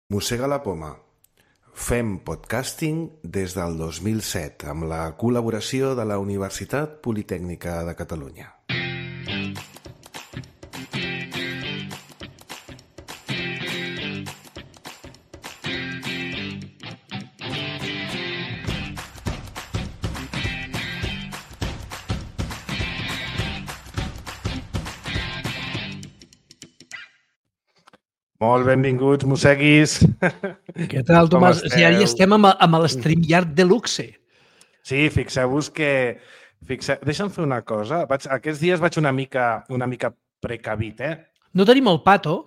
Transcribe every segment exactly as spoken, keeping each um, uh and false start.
Mossega la poma. Fem podcasting des del dos mil set amb la col·laboració de la Universitat Politècnica de Catalunya. Molt benvinguts, mosseguis. Què tal, Tomàs? O sigui, ara ja estem amb, amb l'StreamYard Deluxe. Sí, fixeu-vos que... Fixeu... Deixa'm fer una cosa. Vaig... Aquests dies vaig una mica, una mica precavit, eh? No tenim el Pato.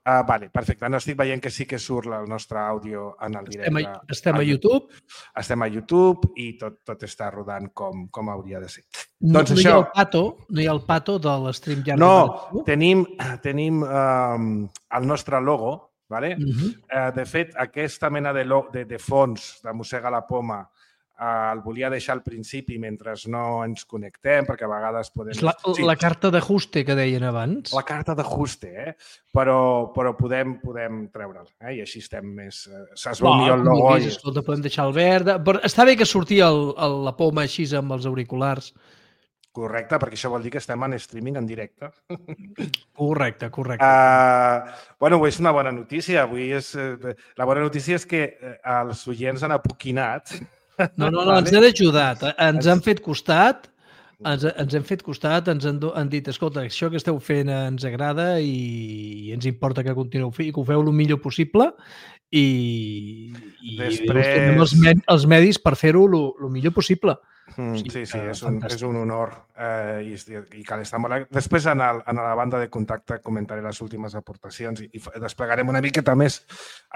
Ah, vale, perfecte. No estic veient que sí que surt el nostre àudio en el directe. Estem a, estem a YouTube. Estem a YouTube i tot, tot està rodant com, com hauria de ser. No, doncs no, això... hi ha el Pato, no hi ha el Pato de l'StreamYard. No, tenim, tenim um, el nostre logo, ¿vale? Uh-huh. uh, de fet, aquesta mena de, lo, de, de fons de Mossega la poma uh, el volia deixar al principi mentre no ens connectem, perquè a vegades podem... És la, sí. la carta d'ajuste que deien abans. La carta d'ajuste, eh? Però, però podem, podem treure'l, eh? I així estem més... Es veu millor el logo. I... Escolta, podem deixar el verd... Però està bé que sortia el, el, la poma així amb els auriculars. Correcte, perquè això vol dir que estem en streaming en directe. Correcte, correcte. Uh, bueno, és una bona notícia. Avui és, uh, la bona notícia és que uh, els oients han apoquinat. No, no, no, ens han ajudat. Ens han fet costat, ens, ens han fet costat, ens han, han dit, escolta, això que esteu fent ens agrada i, i ens importa que continueu fent i que ho feu el millor possible i, i Després... tenim els, med, els medis per fer-ho el millor possible. Mm, sí, sí, és un, és un honor eh, i, i cal estar molt... Després, en, el, en la banda de contacte, comentaré les últimes aportacions i, i desplegarem una miqueta més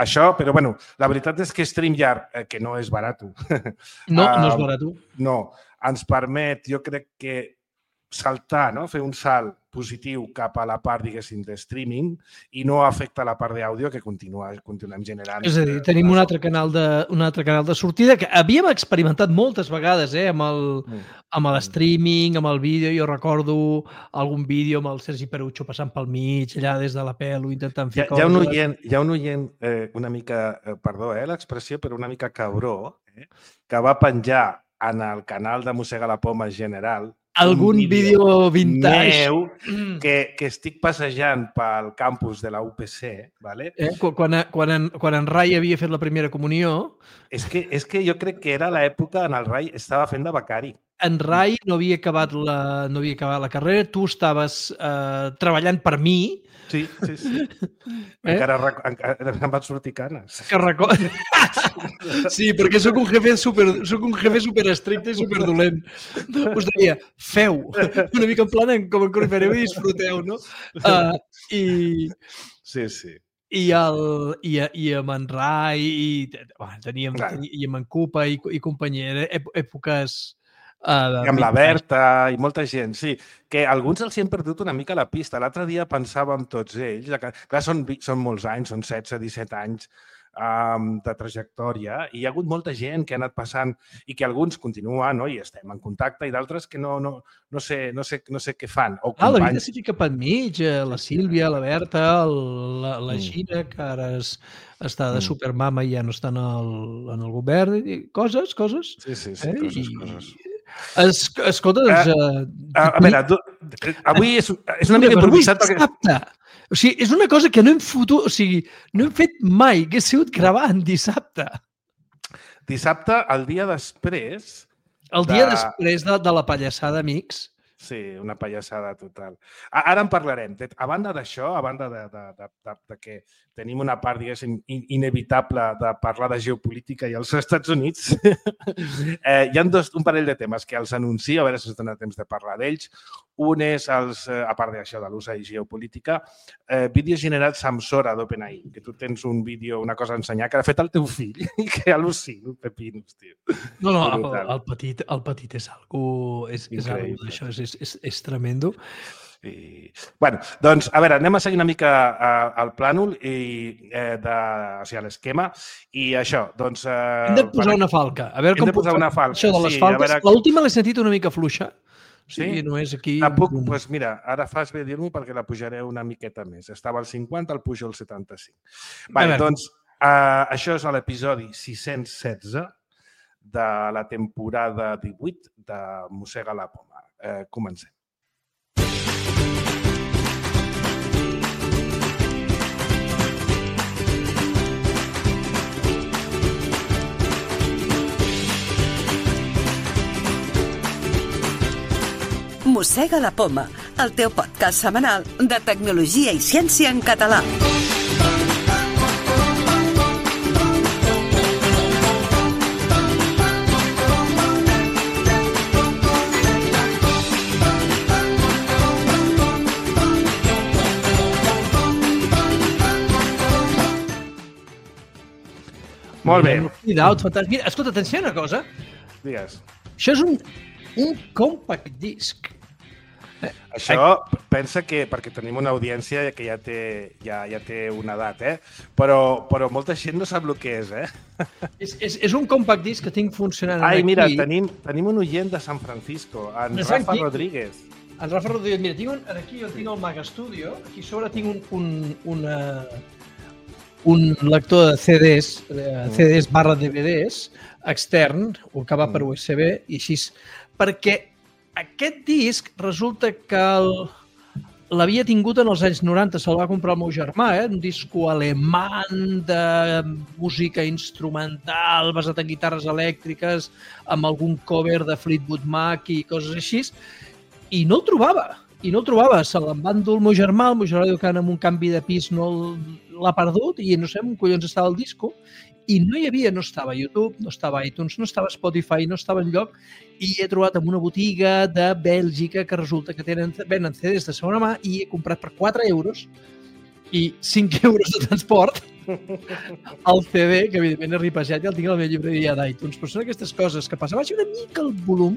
això, però bueno, la veritat és que StreamYard, eh, que no és barat, no, no és barat, no, ens permet, jo crec que saltar, no? Fer un salt positiu cap a la part, diguéssim, de streaming i no afecta la part d'àudio que continua, continuem generant. És a dir, tenim un altre canal de, un altre canal de sortida que havíem experimentat moltes vegades eh, amb el, mm. amb l'streaming, amb el vídeo. Jo recordo algun vídeo amb el Sergi Perucho passant pel mig, allà des de la pelo, intentant fer hi ha, coses. Hi ha un oient, hi ha un oient eh, una mica, eh, perdó, eh, l'expressió, però una mica cabró, eh, que va penjar en el canal de Mossega la Poma general algun vídeo vintage meu que, que estic passejant pel campus de la U P C, ¿vale? Eh? Quan, quan, en, quan en Rai havia fet la primera comunió... És que, és que jo crec que era l'època en el Rai estava fent de becari. En Rai no havia acabat la, no havia acabat la carrera, tu estaves eh, treballant per mi. Sí, sí, sí. Eh? Encara, encara em van sortir canes. Que record... Sí, perquè soc un jefe super, soc un jefe super estricte i super dolent. Us deia, feu, una mica en plan com en Corrifereu i disfruteu, no? Uh, i... Sí, sí. I, el, i, i amb en Rai, i, bueno, teníem, teníem, i amb en Cupa i, i companyia, èpoques... Uh, I amb la Berta i molta gent, sí. Que alguns els hi han perdut una mica la pista. L'altre dia pensàvem tots ells, que, clar, són, són molts anys, són setze, disset anys um, de trajectòria, i hi ha hagut molta gent que ha anat passant i que alguns continuen, no? I estem en contacte, i d'altres que no, no, no, sé, no, sé, no sé què fan. O ah, la vida s'hi fica per enmig, la Sílvia, la Berta, el, la, la Gina, que ara és, està de supermama i ja no està en el, en el govern. I coses, coses. Sí, sí, sí, eh? coses, I, coses. Es, escolta, doncs... Uh, uh, a veure, tu, avui és, és una mica improvisat perquè... Dissabte. O sigui, és una cosa que no hem fotut, o sigui, no hem fet mai, que he sigut gravant dissabte. Dissabte, el dia després... El dia de... després de, de la pallassada, amics. Sí, una pallassada total. Ara en parlarem. A banda d'això, a banda de, de, de, de, de que tenim una part, diguéssim, inevitable de parlar de geopolítica i als Estats Units, eh, hi ha dos, un parell de temes que els anuncio, a veure si us dona temps de parlar d'ells. Un és, els, a part d'això de l'ús de geopolítica, eh, vídeos generats amb Sora d'OpenAI, que tu tens un vídeo, una cosa a ensenyar, que ha fet el teu fill i que al·lucino, pepinos, tio. No, no, el, el, petit, el petit és algú, és, és algú d'això, és, és, és tremendo. I, bueno, doncs, a veure, anem a seguir una mica uh, el plànol i, eh, de, o sigui, l'esquema i això, doncs... Uh, hem de posar per... una falca. A veure hem com de posar una falca. Això de les sí, falques, veure... l'última l'he sentit una mica fluixa. O Sí, sí? Només aquí... Tampoc, doncs pues mira, ara fas bé dir-m'ho perquè la pujaré una miqueta més. Estava al cinquanta, el pujo al setanta-cinc. Vale, doncs, uh, això és l'episodi sis-cents setze de la temporada divuit de Mossega la Poma. Uh, comencem. Mossega la Poma, el teu podcast setmanal de tecnologia i ciència en català. Molt bé. Mira, escolta, atenció a una cosa. Digues. Això és un, un compact disc. Això pensa que, perquè tenim una audiència que ja té, ja, ja té una edat, eh? però, però molta gent no sap el que és. Eh? És, és, és un compact disc que tinc funcionant Ai, aquí. Mira, tenim, tenim un oient de San Francisco, en de Rafa aquí. Rodríguez. En Rafa Rodríguez, mira, tinc un, aquí jo tinc el Mac Studio, aquí sobre tinc un, un, una, un lector de C Ds, C Ds barra D V Ds, extern, que va per U S B, i així, perquè aquest disc resulta que l'havia tingut en els anys noranta, se'l va comprar el meu germà, eh? Un disco alemany de música instrumental basat en guitarres elèctriques, amb algun cover de Fleetwood Mac i coses així, i no el trobava, i no el trobava. Se l'en va endur el meu germà, el meu germà diu que amb un canvi de pis no l'ha perdut i no sé on collons estava el disco, i no hi havia, no estava YouTube, no estava iTunes, no estava Spotify, no estava enlloc, i he trobat en una botiga de Bèlgica que resulta que tenen, venen C Ds de segona mà i he comprat per quatre euros i cinc euros de transport el C D, que evidentment és ripejat i el tinc a la meva llibreria d'iTunes. Però són aquestes coses que passen. Baixa una mica el volum.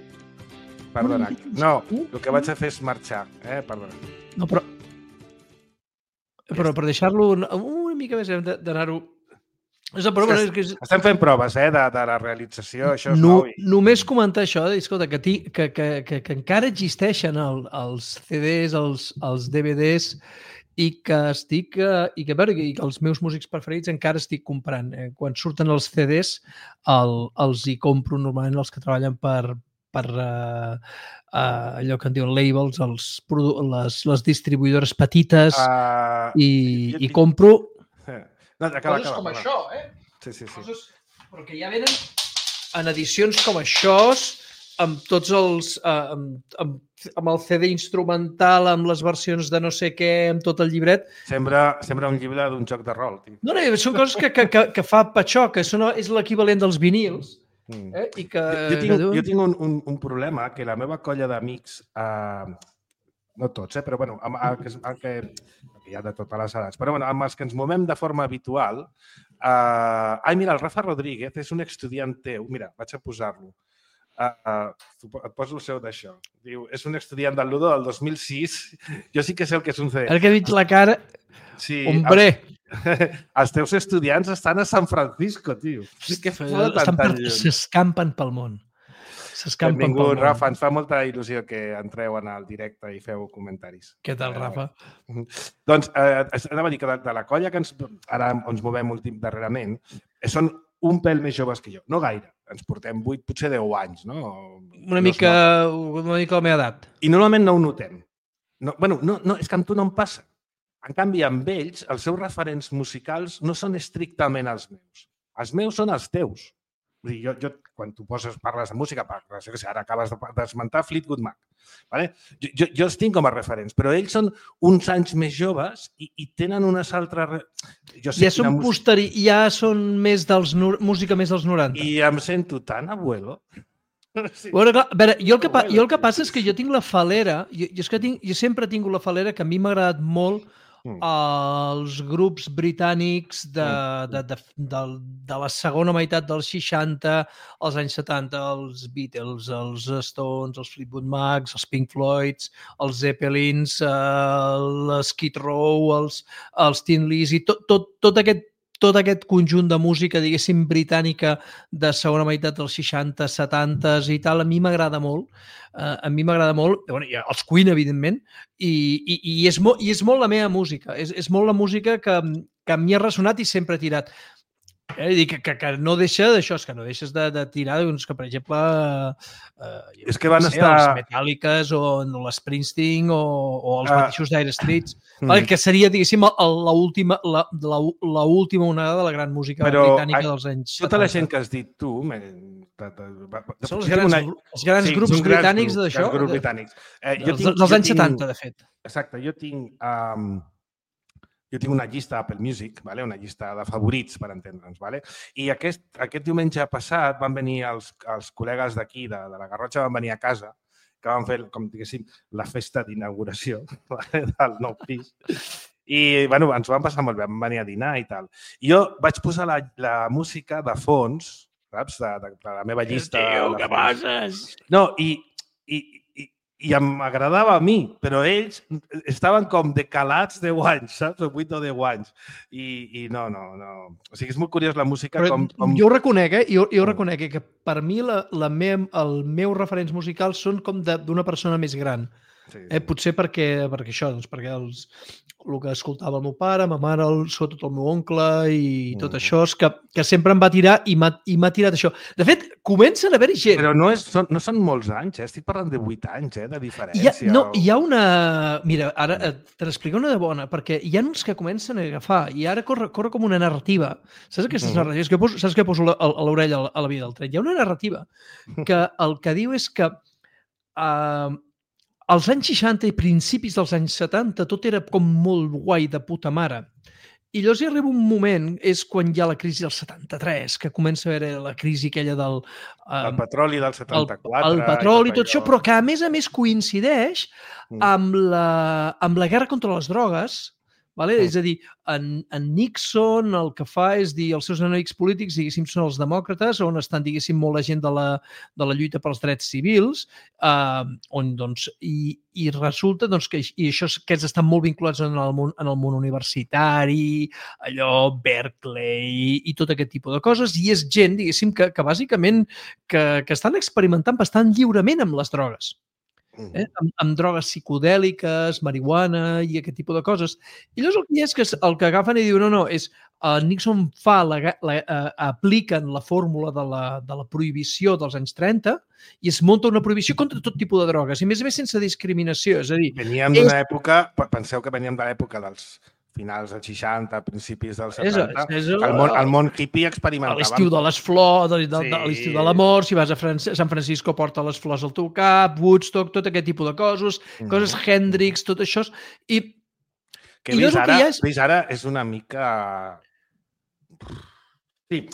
Perdona. No, el que vaig a fer és marxar. Eh? Perdona. No, però... Però per deixar-lo una, una mica més hem d'anar-ho... És però, bueno, és que... Estem fent proves eh, de, de la realització, això és no, nou. I... Només comentar això, escolta, que, ti, que, que, que, que encara existeixen el, els C Ds, els, els D V Ds, i que estic, i que, veure, i que els meus músics preferits encara estic comprant. Eh? Quan surten els C Ds, el, els hi compro normalment els que treballen per, per uh, uh, allò que en diuen labels, els, les, les distribuïdores petites, uh, i, i tinc... compro... No, acaba, coses acaba, com acaba. això, eh? Sí, sí, sí. Coses, però que ja venen en edicions com això, amb tots els... Uh, amb, amb, amb el C D instrumental, amb les versions de no sé què, amb tot el llibret. Sembla, sembla un llibre d'un joc de rol. Tio. No, no, són coses que, que, que, que fa Patxó, que són, és l'equivalent dels vinils. Mm. Eh? I que... jo, jo tinc, jo tinc un, un, un problema, que la meva colla d'amics... Uh, no tots, eh? Però bueno, amb, amb, amb, amb, que hi ha de totes les edats, però bueno, amb els que ens movem de forma habitual... Uh, ai, mira, el Rafa Rodríguez és un estudiant teu. Mira, vaig a posar-lo. Uh, uh, et poso el seu d'això. Diu, és un estudiant del Ludo del dos mil sis. Jo sí que sé el que és un C D. El que he vist la cara... Sí, hombre! Els, els teus estudiants estan a San Francisco, tio. Que s'escampen pel món. Benvingut, Rafa. Ens fa molta il·lusió que entreu en el directe i feu comentaris. Què tal, Rafa? Uh, doncs, eh, anava a dir que de, de la colla que ens, ara ens movem últim darrerament, són un pèl més joves que jo. No gaire. Ens portem vuit, potser deu anys, no? Una mica, una mica la meva edat. I normalment no ho notem. No, bueno, no, no, és que amb tu no em passa. En canvi, amb ells, els seus referents musicals no són estrictament els meus. Els meus són els teus. Vull dir, jo, jo, quan tu poses, parles de música, parles, que sé, ara acabes d'esmentar Fleetwood Mac. Vale? Jo, jo, jo els tinc com a referents, però ells són uns anys més joves i, i tenen unes altres... Jo sé ja són música... posteri... ja són més dels... música més dels noranta. I em sento tan abuelo. Sí. Bueno, clar, a veure, jo el, que pa... jo el que passa és que jo tinc la falera, jo, jo, és que tinc, jo sempre he tingut la falera que a mi m'ha agradat molt els grups britànics de, de, de, de, de la segona meitat dels seixanta, als anys setanta, els Beatles, els Stones, els Fleetwood Macs, els Pink Floyds, els Zeppelins, eh, les Skid Row, els, els Tin Lizzy, tot, tot, tot aquest tot aquest conjunt de música, diguéssim, britànica de segona meitat dels seixanta, setanta i tal, a mi m'agrada molt. Uh, a mi m'agrada molt, bueno, i els Queen, evidentment, i, i, i, és molt, i és molt la meva música. És, és molt la música que, que m'hi ha ressonat i sempre he tirat. Eh, dir que, que, que no deixa d'això, és que no deixes de, de tirar, doncs, que per exemple eh, és que van no sé, estar... els Metallicas o l'Springsteen o, o els Ah. mateixos Dire Straits, Mm. vale, que seria, diguéssim, l'última la, la, la última onada de la gran música Però, britànica a- dels anys Tota la setanta. gent que has dit tu... Me... Són els grans, els grans Sí, grups són grans britànics grups, d'això, grans grups britànics. Eh, jo dels, tinc- dels jo anys tinc- setanta, de fet. Exacte, jo tinc, um, jo tinc una llista Apple Music, vale? Una llista de favorits, per entendre'ns. Vale? I aquest, aquest diumenge passat van venir els, els col·legues d'aquí, de, de la Garrotxa, van venir a casa, que van fer, com diguéssim, la festa d'inauguració vale? Del nou pis. I bueno, ens ho van passar molt bé, vam venir a dinar i tal. I jo vaig posar la, la música de fons, saps? De, de, de la meva llista. Tio, de què fons. passes? No, i, i, i, i m'agradava a mi, però ells estaven com decalats deu anys, saps? O vuit o deu anys. I, i no, no, no. O sigui, és molt curiós la música Però com... com... Jo ho reconec, eh? Jo, jo ho reconec, eh? Que per mi la, la me, els meus referents musicals són com d'una persona més gran. Sí, sí. Eh? Potser perquè, perquè això, doncs, perquè els, el que escoltava el meu pare, ma mare, el, sobretot el meu oncle i tot Mm. això, és que, que sempre em va tirar i m'ha tirat això. De fet, comencen a haver-hi gent. Però no, és, són, no són molts anys, eh? Estic parlant de vuit anys, eh? De Hi ha, diferència. no, hi ha una... Mira, ara eh, te n'explico una de bona, perquè hi ha uns que comencen a agafar i ara corre, corre com una narrativa. Saps aquestes Mhm. narratives? Que poso, saps que poso la- a l'orella a la via del tren? Hi ha una narrativa que el que diu és que eh, als anys seixanta i principis dels anys setanta tot era com molt guai de puta mare. I llavors hi arriba un moment, és quan hi ha la crisi del setanta-tres, que comença a haver la crisi aquella del... eh, El petroli del el, setanta-quatre... el petroli i tot allò. això, però que a més a més coincideix Mm. amb la, amb la guerra contra les drogues. Vale? Mm. És a dir, en, en Nixon el que fa és dir els seus enemics polítics, diguéssim, són els demòcrates, on estan, diguéssim, molt la gent de la, de la lluita pels drets civils, eh, on, doncs, i, i resulta doncs, que i això, aquests estan molt vinculats en el món, en el món universitari, allò, Berkeley i tot aquest tipus de coses, i és gent, diguéssim, que, que bàsicament que, que estan experimentant bastant lliurement amb les drogues. Eh? Amb, amb drogues psicodèliques, marihuana i aquest tipus de coses. I llavors el que hi ha és que el que agafen i diuen no, no, és uh, Nixon fa la, la, uh, apliquen la fórmula de la, de la prohibició dels anys trenta i es munta una prohibició contra tot tipus de drogues i més a més sense discriminació. És a dir, Veníem d'una època, penseu que veníem de l'època dels finals dels seixanta, principis dels setanta, és, és, el món, el món hippie experimentava. a l'estiu de les flors, de, de, Sí. de, a l'estiu de l'amor, si vas a Fran San Francisco porta les flors al teu cap, Woodstock, tot aquest tipus de coses, Mhm. coses Hendrix, tot això. I Que I vist llavors el que ara, hi ha és- vist ara és una mica... Sí,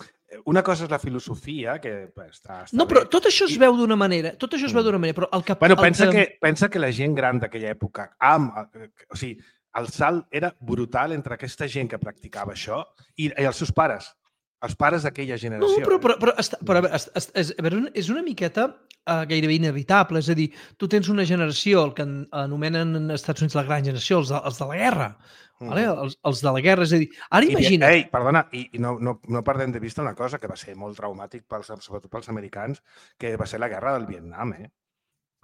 una cosa és la filosofia, que està, està no, però bé. tot això es veu d'una manera, tot això es veu Mm. d'una manera, però el que... Bueno, el pensa que... que, pensa que la gent gran d'aquella època, amb, o sigui, el salt era brutal entre aquesta gent que practicava això i, i els seus pares, els pares d'aquella No, generació. però, eh? però, però, està, però a veure, est- est- és, a veure, és una miqueta uh, gairebé inevitable. És a dir, tu tens una generació, el que en- anomenen en Estats Units la gran generació, els de, els de la guerra. Mm. Vale? Els, els de la guerra, és a dir, ara I, imagina't... Ei, perdona, i, i no, no, no perdem de vista una cosa que va ser molt traumàtic, pels, sobretot pels americans, que va ser la guerra del Vietnam, eh?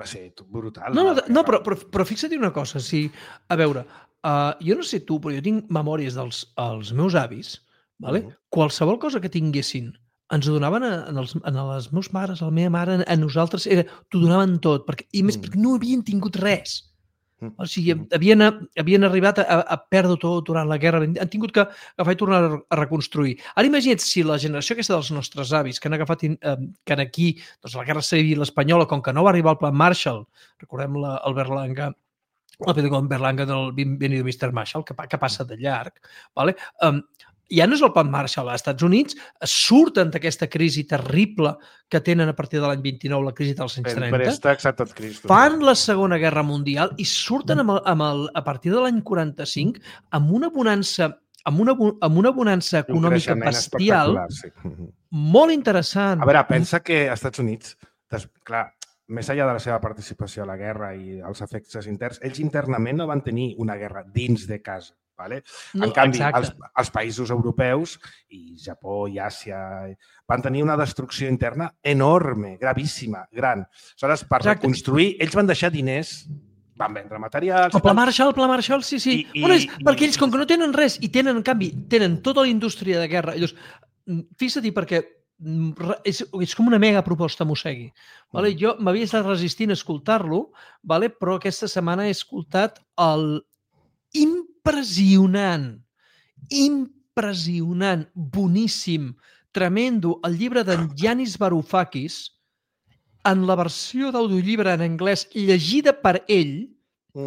Va ser brutal. No, no, la no guerra. però, però, però fixa't una cosa. Si, a veure, uh, jo no sé tu, però jo tinc memòries dels els meus avis, vale? Mhm. Qualsevol cosa que tinguessin ens ho donaven a, en, els, en les meus mares, a la meva mare, a nosaltres, era, t'ho donaven tot, perquè, i més Mm. perquè no havien tingut res. Mm. O sigui, Mhm. havien, havien arribat a, a perdre tot durant la guerra, han tingut que agafar i tornar a, a reconstruir. Ara imagina't si la generació aquesta dels nostres avis, que han agafat, eh, que en aquí, doncs la guerra civil espanyola, com que no va arribar el plan Marshall, recordem la, el Berlanga, el Pedro Berlanga del Bienvenido mister Marshall, que, pa- que passa de llarg, vale? um, ja no és el plan Marshall. Als Estats Units surten d'aquesta crisi terrible que tenen a partir de l'any vint-i-nou, la crisi dels anys En trenta, préstecs a tot Cristo. fan la Segona Guerra Mundial i surten amb el, amb el, a partir de l'any quaranta-cinc amb una bonança amb una, bo- amb una bonança Un econòmica creixement bestial espectacular, sí. Mhm. molt interessant. A veure, pensa que als Estats Units, des, clar, més enllà de la seva participació a la guerra i els efectes interns, ells internament no van tenir una guerra dins de casa. Vale? No, en canvi, exacte. els, els països europeus i Japó i Àsia van tenir una destrucció interna enorme, gravíssima, gran. Aleshores, per Exacte. reconstruir, ells van deixar diners, van vendre materials... El Pla Marshall, el Pla Marshall, sí, sí. I, i, bueno, és perquè i, ells, com que no tenen res, i tenen, en canvi, tenen tota la indústria de guerra, llavors, fixa-t'hi perquè és, és com una mega proposta Mossegui. Vale? Jo m'havia estat resistint a escoltar-lo, vale? Però aquesta setmana he escoltat el impressionant, impressionant, boníssim, tremendo, el llibre d'en Yanis Varoufakis, en la versió d'audiollibre en anglès llegida per ell,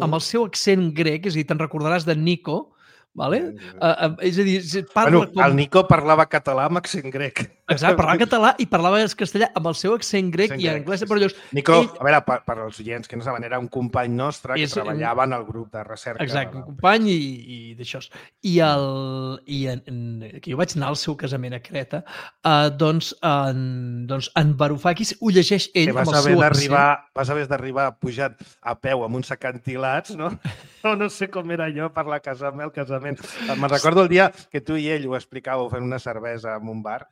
amb el seu accent grec, és a dir, te'n recordaràs de Nico, vale? Uh, uh, és a dir, parla bueno, com... el Nico parlava català amb accent grec. Exacte, parlava català i parlava castellà amb el seu accent grec accent i en grec, anglès. sí, Però llavors, Nico, ell... a veure, per, per als oients que no saben, era un company nostre que És- treballava en el grup de recerca. Exacte, de un la... company i, i d'això. I, el, i en, en, que jo vaig anar al seu casament a Creta, uh, doncs, en, doncs en Varoufakis ho llegeix ell Que vas amb el haver seu d'arribar, accent. vas haver d'arribar pujant a peu amb uns acantilats, no? No, no sé com era jo per la casa meva, el casament. Me'n recordo el dia que tu i ell ho explicàveu fent una cervesa en un bar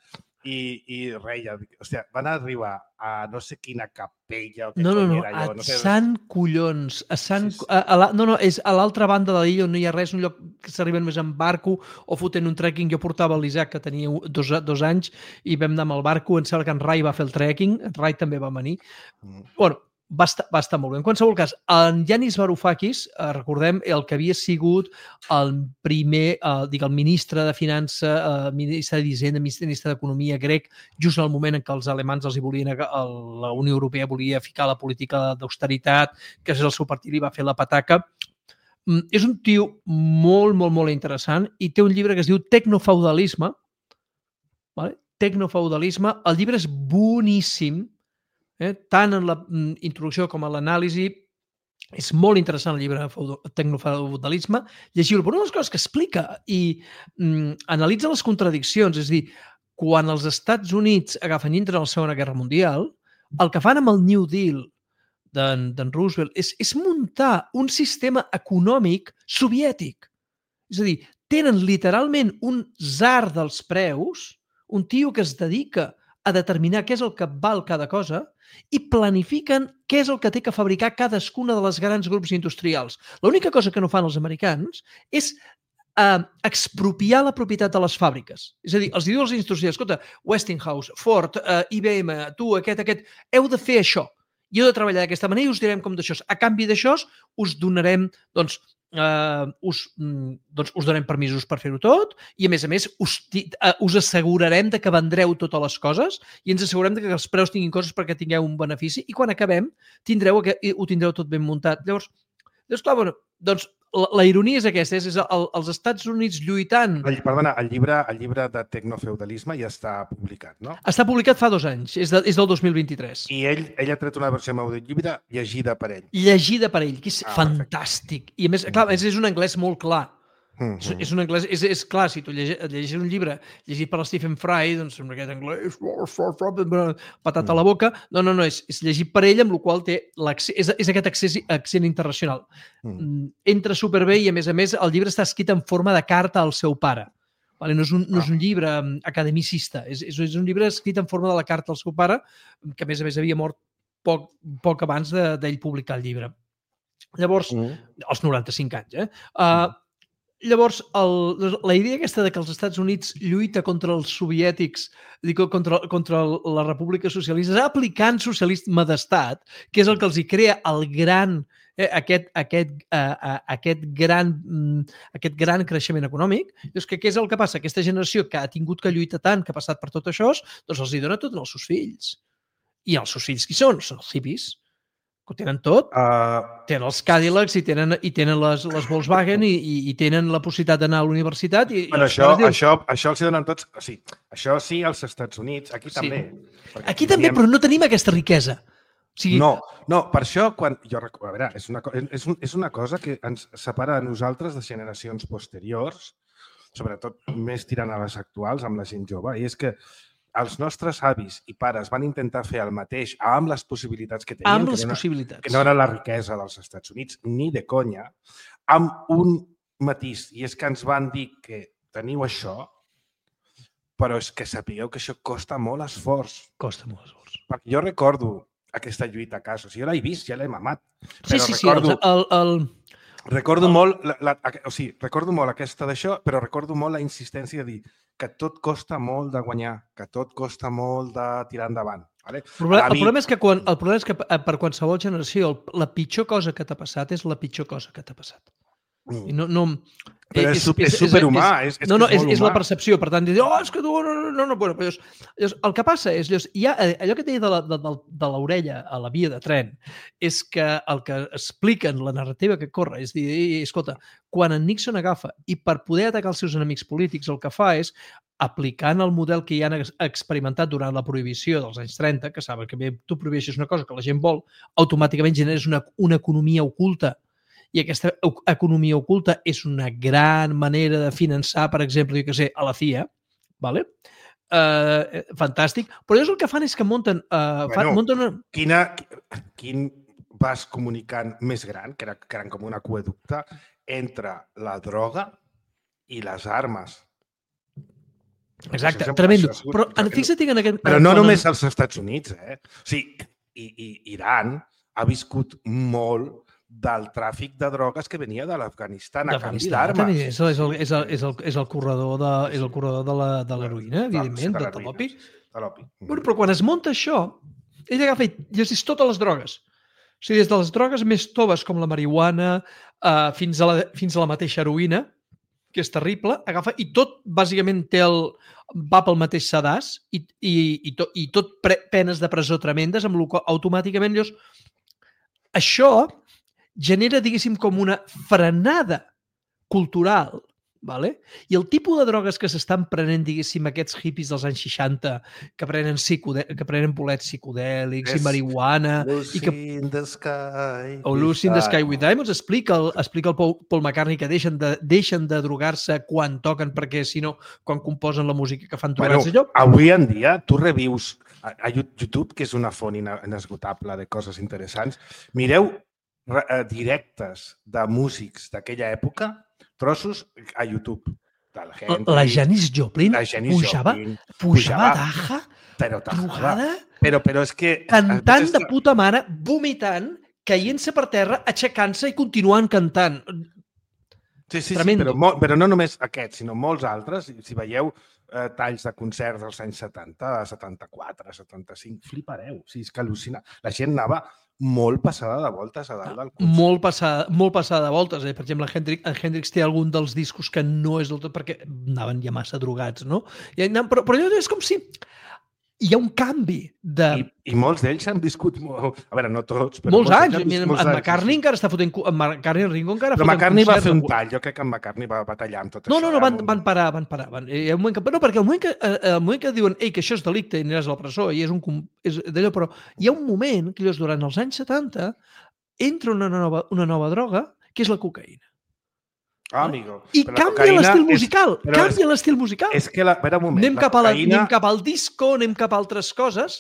i, i reia. Hòstia, van arribar a no sé quina capella o què No, no, no, era a jo. No sé, Sant Collons. A Sant, Sí, sí. a, a la, no, no, és a l'altra banda de l'illa on no hi ha res, un lloc que s'arriben més en barco o fotent un trekking. Jo portava l'Isaac, que tenia dos, dos anys, i vam anar amb el barco. Em sembla que en Rai va fer el trekking, en Rai també va venir. Mm. Bueno, va estar, va estar molt bé. En qualsevol cas, en Yanis Varoufakis, eh, recordem, el que havia sigut el primer, eh, dic, el ministre de Finança, eh, ministre d'Hisenda, ministre d'Economia grec, just en el moment en què els alemans els hi volien, la Unió Europea volia ficar la política d'austeritat, que és el seu partit, i va fer la pataca. Mm, és un tio molt, molt, molt interessant i té un llibre que es diu Tecnofeudalisme. Vale? Tecnofeudalisme. El llibre és boníssim, eh? Tant en la mm, introducció com en l'anàlisi. És molt interessant el llibre de Tecnofeudalisme. Llegiu-lo. Però una de les coses que explica i mm, analitza les contradiccions, és a dir, quan els Estats Units agafen i entren a la Segona Guerra Mundial, el que fan amb el New Deal d'en Roosevelt és, és muntar un sistema econòmic soviètic. És a dir, tenen literalment un tsar dels preus, un tio que es dedica a determinar què és el que val cada cosa i planifiquen què és el que té que fabricar cadascuna de les grans grups industrials. L'única cosa que no fan els americans és eh, expropiar la propietat de les fàbriques. És a dir, els diu als industrials, escolta, Westinghouse, Ford, eh, I B M, tu, aquest, aquest, heu de fer això. I heu de treballar d'aquesta manera i us direm com d'això. A canvi d'això, us donarem, doncs, Uh, us, doncs us donem permisos per fer-ho tot i a més a més us, uh, us assegurarem de que vendreu totes les coses i ens assegurem de que els preus tinguin coses perquè tingueu un benefici i quan acabem tindreu, ho tindreu tot ben muntat. Llavors, llavors clar, bueno, doncs la, la ironia és aquesta, és, és el, els Estats Units lluitant... El, perdona, el llibre, el llibre de Tecnofeudalisme ja està publicat, no? Està publicat fa dos anys, és, de, és del dos mil vint-i-tres. I ell, ell ha tret una versió amb audiollibre llegida per ell. Llegida per ell, que és Ah, fantàstic. I a més, clar, és, és un anglès molt clar. Mm És, -hmm. és un anglès, és, és clar, si tu llegis, llegis un llibre llegit per Stephen Fry, doncs sembla aquest anglès patat a la boca. No, no, no, és, és llegit per ell, amb la qual té és, és aquest accés, accent internacional. Mm. Entra superbé i, a més a més, el llibre està escrit en forma de carta al seu pare. Vale? No, és un, no és un llibre academicista, és, és, és un llibre escrit en forma de la carta al seu pare, que, a més a més, havia mort poc, poc abans d'ell de, publicar el llibre. Llavors, mm. als noranta-cinc anys, eh? Uh, Llavors, el, la idea aquesta de que els Estats Units lluita contra els soviètics, dic, contra, contra la República Socialista, aplicant socialisme d'estat, que és el que els hi crea el gran, eh, aquest, aquest, eh, aquest, gran, aquest gran creixement econòmic. Doncs que què és el que passa? Aquesta generació que ha tingut que lluitar tant, que ha passat per tot això, doncs els hi dona tot als seus fills. I els seus fills qui són? Són els hippies. Ho tenen tot, uh, tenen els Cadillacs i tenen, i tenen les, les Volkswagen i, i, i tenen la possibilitat d'anar a la universitat. I, bueno, i això, diuen... això, això els donen tots... O sigui, això sí als Estats Units, aquí sí. també. Aquí, aquí també, però no tenim aquesta riquesa. O sigui... No, no, per això, quan... Jo, a veure, és una, és, un, és una cosa que ens separa a nosaltres de generacions posteriors, sobretot més tirant a les actuals, amb la gent jove, i és que els nostres avis i pares van intentar fer el mateix amb les possibilitats que tenien, amb les que, no, possibilitats. que no era la riquesa dels Estats Units, ni de conya, amb un matís, i és que ens van dir que teniu això, però és que sapigueu que això costa molt esforç. Costa molt esforç. Perquè jo recordo aquesta lluita a casa. O sigui, jo l'he vist, ja l'he mamat. Sí, sí, sí. El, el, el... Recordo, el... molt la, la, o sigui, recordo molt aquesta d'això, però recordo molt la insistència de dir que tot costa molt de guanyar, que tot costa molt de tirar endavant. Vale? El, problema, el, problema és que quan, el problema és que per qualsevol generació la pitjor cosa que t'ha passat és la pitjor cosa que t'ha passat. I no, no, però és, és, és, és superhumà. És, és, no, no, és, és, és la percepció. Per tant, dir, oh, és que tu... No, no, no, no. Bueno, però llavors, el que passa és, llavors, hi ha, allò que deia de, la, de, de l'orella a la via de tren, és que el que expliquen, la narrativa que corre, és dir, escolta, quan en Nixon agafa i per poder atacar els seus enemics polítics el que fa és, aplicant el model que ja han experimentat durant la prohibició dels anys trenta, que saben que bé, tu prohibeixes una cosa que la gent vol, automàticament generes una, una economia oculta. I aquesta economia oculta és una gran manera de finançar, per exemple, jo què sé, a la C I A, ¿vale? Uh, fantàstic. Però llavors el que fan és que munten... Uh, bueno, fan, munten una... quina, quin vas comunicant més gran, que, era, que eren com un aqüeducte, entre la droga i les armes. Exacte, tremendo. Però fixa't en aquest... Però no només als Estats Units, eh? O sigui, i, i Iran ha viscut molt del tràfic de drogues que venia de l'Afganistan a canvi d'armes. És, és, el, és, el, és, el, és el corredor de, és el corredor de l'heroïna, evidentment, de, de l'opi. Bueno, però quan es munta això, ell agafa i llegeix totes les drogues. O sigui, des de les drogues més toves, com la marihuana, uh, fins, a la, fins a la mateixa heroïna, que és terrible, agafa i tot, bàsicament, té el, va pel mateix sedàs i, i, i, to, i tot pre, penes de presó tremendes, amb el qual automàticament llavors, això genera, diguéssim, com una frenada cultural, vale? I el tipus de drogues que s'estan prenent, diguéssim, aquests hippies dels anys seixanta, que prenen, psicodè... que prenen bolets psicodèlics i marihuana... Lucy i que... in the sky. O Lucy in the Sky with Diamonds. Explica el, explica el Paul, Paul McCartney que deixen de, deixen de drogar-se quan toquen, perquè, si no, quan composen la música que fan drogar-se. Bueno, avui en dia, tu revius a, a YouTube, que és una font inesgotable de coses interessants, mireu directes de músics d'aquella època, trossos a YouTube. Henry, la Janis Joplin la Janis pujava, Joplin, pujava daja, però drogada, però, però és que... cantant de puta mare, vomitant, caient-se per terra, aixecant-se i continuant cantant. Sí, sí, sí, però, molt, però no només aquests, sinó molts altres. Si veieu eh, talls de concerts dels anys setanta, setanta-quatre, setanta-cinc, flipareu. O sigui, és que al·lucina. La gent anava molt passada de voltes a dalt del concert. Molt passada, molt passada de voltes. Eh? Per exemple, en Hendrix, en Hendrix té algun dels discos que no és del tot perquè anaven ja massa drogats, no? I, però, però és com si hi ha un canvi de... I, i molts d'ells han viscut... Molt... A veure, no tots, però... Molts, molts anys. En, en, en McCartney encara està fotent... En McCartney i Ringo encara però McCartney va fer un tall. Jo crec que en McCartney va, va tallar amb tot no, això. No, no, van, van parar, van parar. Van, eh, un moment que, no, perquè el moment que, eh, el moment que diuen ei, que això és delicte i aniràs a la presó i és un... És d'allò, però hi ha un moment que llavors, durant els anys setanta entra una nova, una nova droga que és la cocaïna. Ah, amigo. I canvia l'estil musical. És, canvia l'estil musical. És que la... Espera un moment. Anem, cap a la, cocaïna... anem cap al disco, anem cap a altres coses.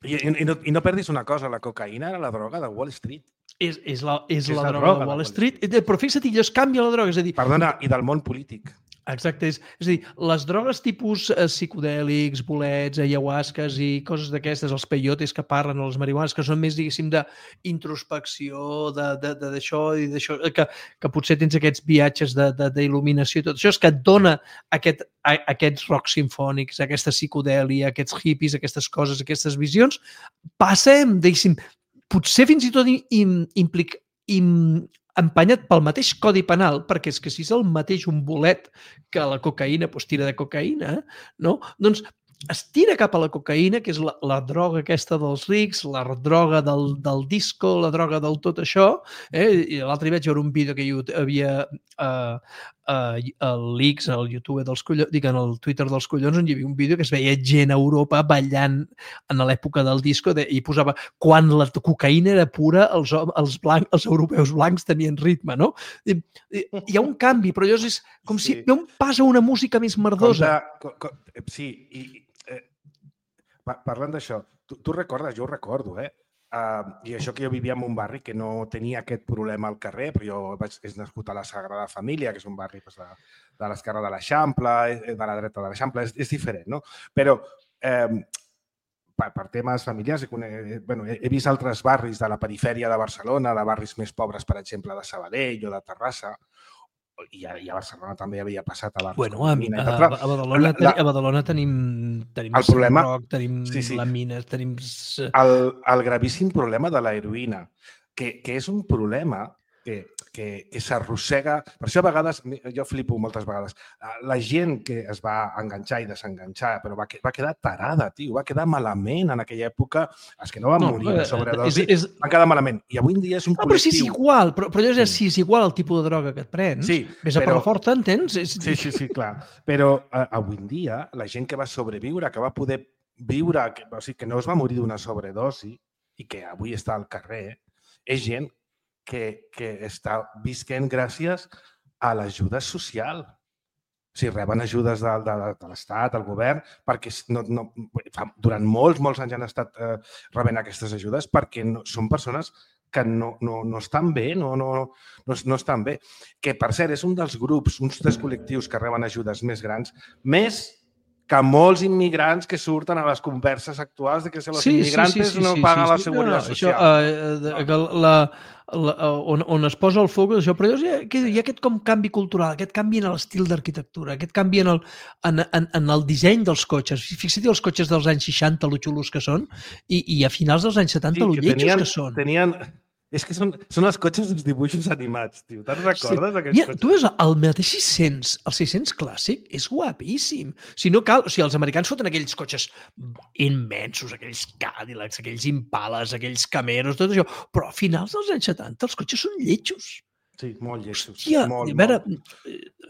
I, i, no, I no perdis una cosa, la cocaïna era la droga de Wall Street. És, és la, és és la, la droga, droga de Wall Street. Street. Però fixa't, llavors canvia la droga. És a dir, perdona, i del món polític. Exacte. És, és a dir, les drogues tipus eh, psicodèlics, bolets, ayahuasques i coses d'aquestes, els peyotes que parlen, o les marihuanes, que són més, diguéssim, d'introspecció, d'això i d'això, que, que potser tens aquests viatges d'il·luminació i tot això, és que et dona aquest, a, aquests rocs simfònics, aquesta psicodèlia, aquests hippies, aquestes coses, aquestes visions, passem, diguéssim, potser fins i tot implica... Im, empenyat pel mateix codi penal, perquè és que si és el mateix un bolet que la cocaïna, doncs tira de cocaïna, no? Doncs es tira cap a la cocaïna, que és la, la droga aquesta dels rics, la droga del, del disco, la droga del tot això. Eh? I l'altre dia vaig veure un vídeo que hi havia uh, uh, el Leaks, el YouTube dels collons, dic, en el Twitter dels collons, on hi havia un vídeo que es veia gent a Europa ballant en l'època del disco de, i posava quan la cocaïna era pura, els, els, blanc, els europeus blancs tenien ritme, no? I, i, hi ha un canvi, però allò és com sí. si hi ha un pas a una música més merdosa. Com de, com, sí, i parlant d'això, tu, tu recordes, jo ho recordo, eh? Uh, I això que jo vivia en un barri que no tenia aquest problema al carrer, però jo vaig, és nascut a la Sagrada Família, que és un barri pues, de, de l'esquerra de l'Eixample, de la dreta de l'Eixample, és, és diferent, no? Però eh, per, per temes familiars, he, bueno, he, he vist altres barris de la perifèria de Barcelona, de barris més pobres, per exemple, de Sabadell o de Terrassa, i a, i a Barcelona també havia passat a barris bueno, com a, la Mina. A, a, Badalona, la, la, a Badalona tenim, tenim el problema, rock, tenim sí, sí. la mina, tenim... El, el gravíssim problema de l'heroïna, que, que és un problema que, que, que s'arrossega... Per això a vegades, jo flipo moltes vegades, la gent que es va enganxar i desenganxar, però va, va quedar tarada, tio, va quedar malament en aquella època. Els que no van no, morir de sobredosi és, és... van quedar malament. I avui en dia és un no, col·lectiu... Però si és igual, però, però és, si és igual el tipus de droga que et prens, sí, vés a però... per la forta, entens? És... Sí, sí, sí, clar. Però uh, avui en dia, la gent que va sobreviure, que va poder viure, que, o sigui, que no es va morir d'una sobredosi i que avui està al carrer, és gent que, que està visquent gràcies a l'ajuda social. O sigui, reben ajudes de, de, de l'Estat, del govern, perquè no, no, durant molts, molts anys han estat eh, rebent aquestes ajudes perquè no, són persones que no, no, no estan bé, no, no, no, no estan bé. Que, per cert, és un dels grups, uns dels col·lectius que reben ajudes més grans, més que molts immigrants que surten a les converses actuals de que si els sí, immigrants sí, sí, sí, no sí, paguen sí, sí. la seguretat no, no, social. Això, uh, la, la, on, on es posa el foc, això, però hi ha, hi ha aquest com canvi cultural, aquest canvi en l'estil d'arquitectura, aquest canvi en el, en, en, en el disseny dels cotxes. Fixa't els cotxes dels anys seixanta, lo xulos que són, i, i a finals dels anys setanta, sí, lo lletjos tenien, que són. Tenien... És que són, són els cotxes dels dibuixos animats, tio. Te'n recordes, sí. aquests Mira, cotxes? Tu veus el mateix sis cents, el sis cents clàssic, és guapíssim. Si no cal, o sigui, els americans foten aquells cotxes immensos, aquells Cadillacs, aquells Impalas, aquells Camaros, tot això, però a finals dels anys setanta els cotxes són lletjos. Sí, molt lletjos. Hòstia, molt, a veure,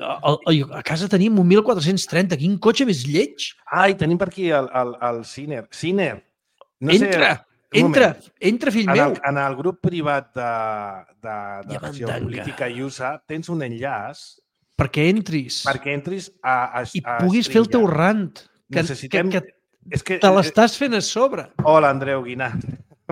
a, a, a casa tenim un mil quatre-cents trenta, quin cotxe més lleig? Ai, tenim per aquí el, el, el Ciner. Ciner. No Entra! Sé... Entra, entra, fill en meu. El, en el grup privat de, de, de ja Geopolítica i U S A tens un enllaç perquè entris. Perquè entris a, a, I a puguis fer el teu rant. Que, Necessitem... que, que, és que te l'estàs fent a sobre. Hola, Andreu Guinart.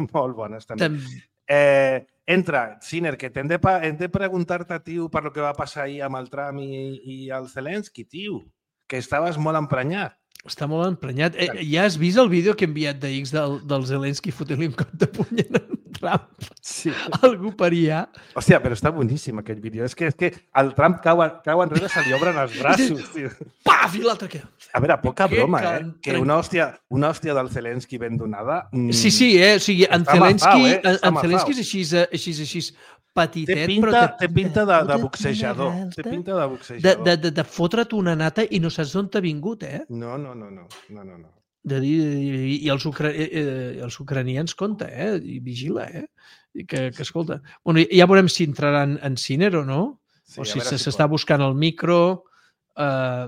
Molt bones, també. Tem... Eh, entra, Ciner, que hem de, hem de preguntar-te, tio, per lo que va passar ahir amb el Trump i, i el Zelensky, tio, que estaves molt emprenyat. Està molt emprenyat. Eh, ja has vist el vídeo que he enviat de X del, del Zelensky fotent-li un cop de puny en Trump? Sí. Algú per allà. Hòstia, però està boníssim aquest vídeo. És que, és que el Trump cau, cau enrere, se li obren els braços. Tio. Paf! I l'altre què? A veure, poca que broma, eh? Que una hòstia, una hòstia del Zelensky ben donada... Mm, sí, sí, eh? O sigui, en Zelensky, mafau, eh? en, en Zelensky és així, així, així, petitet, té pinta, però... Té pinta de, de boxejador. Té pinta de boxejador. De, de, de fotre't una nata i no saps d'on t'ha vingut, eh? No, no, no, no. no, no, no. De dir, i, i els, ucra... eh, els ucranians, compte, eh? I vigila, eh? I que, que escolta... Bueno, ja veurem si entraran en Ciner o no, sí, o si s'està si buscant el micro... Eh...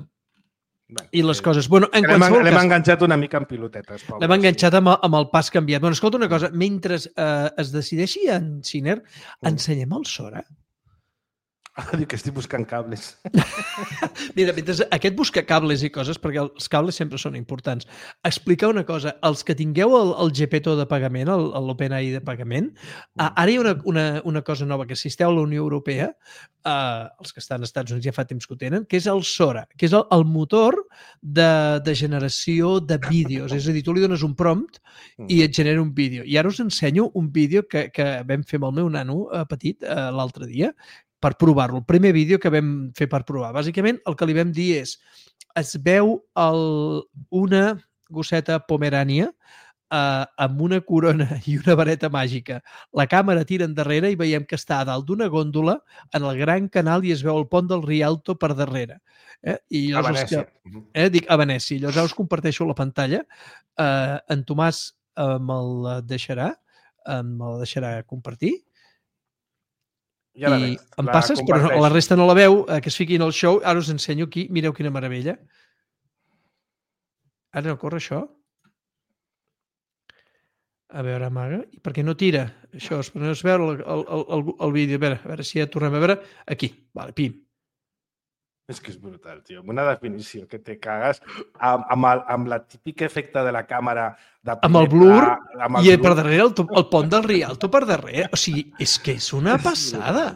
Bueno, I les sí. coses... Bueno, en l'hem cas... enganxat una mica en pilotetes. L'hem enganxat amb, amb el pas canviat. Bueno, escolta una cosa, mentre eh, es decideixi en Ciner, mm. ensenyem el Sora? Ah, diu que estic buscant cables. Mira, mentre aquest busca cables i coses, perquè els cables sempre són importants, explicar una cosa, els que tingueu el, el Geppetto de pagament, l'OpenAI de pagament, mm. ara hi ha una, una, una cosa nova, que si esteu a la Unió Europea, eh, els que estan als Estats Units ja fa temps que ho tenen, que és el Sora, que és el, el motor de, de generació de vídeos. És a dir, tu li dones un prompt i et genera un vídeo. I ara us ensenyo un vídeo que, que vam fer amb el meu nano eh, petit eh, l'altre dia, per provar-lo. El primer vídeo que vam fer per provar. Bàsicament, el que li vam dir és es veu el, una gosseta pomerània eh, amb una corona i una vareta màgica. La càmera tira endarrere i veiem que està a dalt d'una góndola en el gran canal i es veu el pont del Rialto per darrere. Eh? I a Venècia. Que, eh, dic, a Venècia. Llavors us comparteixo la pantalla. Eh, en Tomàs eh, me'l deixarà, eh, me'l deixarà compartir. Ja la i em passes, però no, la resta no la veu, eh, que es fiqui en el show. Ara us ensenyo aquí, mireu quina meravella. Ara no corre això. A veure, amaga. I per què no tira? Això, per no es veu el, el, el, el vídeo. A veure, a veure si ja tornem a veure. Aquí, vale, pim. És que és brutal, tio. Amb una definició que te cagues, amb, amb, el, amb la típica efecte de la càmera de amb el blur pla, amb el i blur. per darrere el, el pont del Rialto per darrere. O sigui, és que és una passada.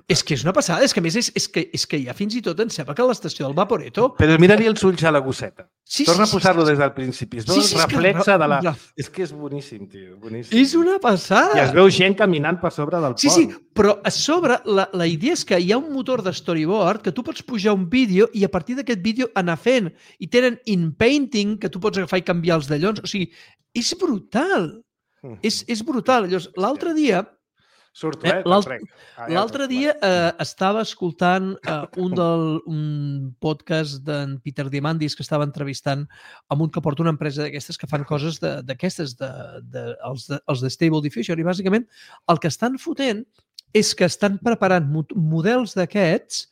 És que és una passada. És que a més és, és, que, és que ja fins i tot em sembla que l'estació del Vaporetto... Però mira-li els ulls a la gosseta. Sí, Torna sí, a posar-lo sí, des del principi. Es veu sí, sí, el reflexe que... de la... És que és boníssim, tio. Boníssim. És una passada. I es veu gent caminant per sobre del sí, pont. Sí, sí, però a sobre la, la idea és que hi ha un motor de storyboard que tu pots pujar un vídeo i a partir d'aquest vídeo anar fent. I tenen in-painting que tu pots agafar i canviar els dallons. O sigui, és brutal. Mm. És, és brutal. L'altre dia... Surto, eh? L'altre dia eh, estava escoltant eh, un, del, un podcast d'en Peter Diamandis que estava entrevistant amb un que porta una empresa d'aquestes que fan coses d'aquestes, de, de, de, els, de, els de Stable Diffusion, i bàsicament el que estan fotent és que estan preparant models d'aquests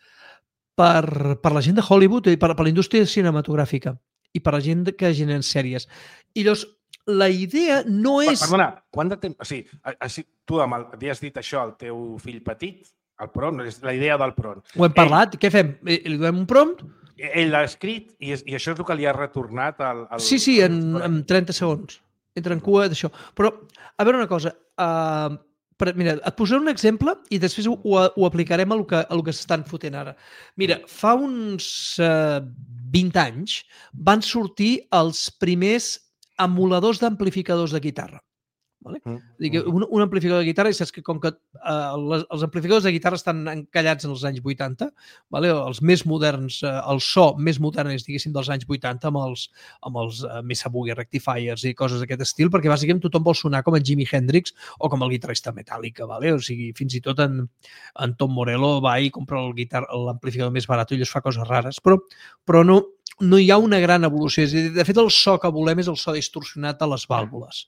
per, per la gent de Hollywood i per, per la indústria cinematogràfica i per la gent que generen sèries. I llavors, la idea no és... Perdona, quant de temps... O sigui, així, tu amb el, li has dit això al teu fill petit, el prompt, la idea del prompt. Ho hem parlat, ell, què fem? Li donem un prompt? Ell l'ha escrit i, és, i això és el que li ha retornat al... al sí, sí, en, en trenta segons. Entra en cua d'això. Però, a veure una cosa, uh, per, mira, et posaré un exemple i després ho, ho aplicarem a lo que, a lo que s'estan fotent ara. Mira, fa uns uh, vint anys van sortir els primers emuladors d'amplificadors de guitarra. Vale? Mm. Dir que un, un amplificador de guitarra, i saps que com que uh, les, els amplificadors de guitarra estan encallats en els anys vuitanta, vale? Els més moderns, uh, el so més modern és, diguéssim, dels anys vuitanta amb els, amb els uh, Mesa Boogie Rectifiers i coses d'aquest estil, perquè bàsicament tothom vol sonar com en Jimi Hendrix o com el guitarrista Metallica, vale? O sigui, fins i tot en, en Tom Morello va i compra l'amplificador més barat i ell es fa coses rares, però, però no, no hi ha una gran evolució. És a dir, de fet, el so que volem és el so distorsionat de les vàlvules.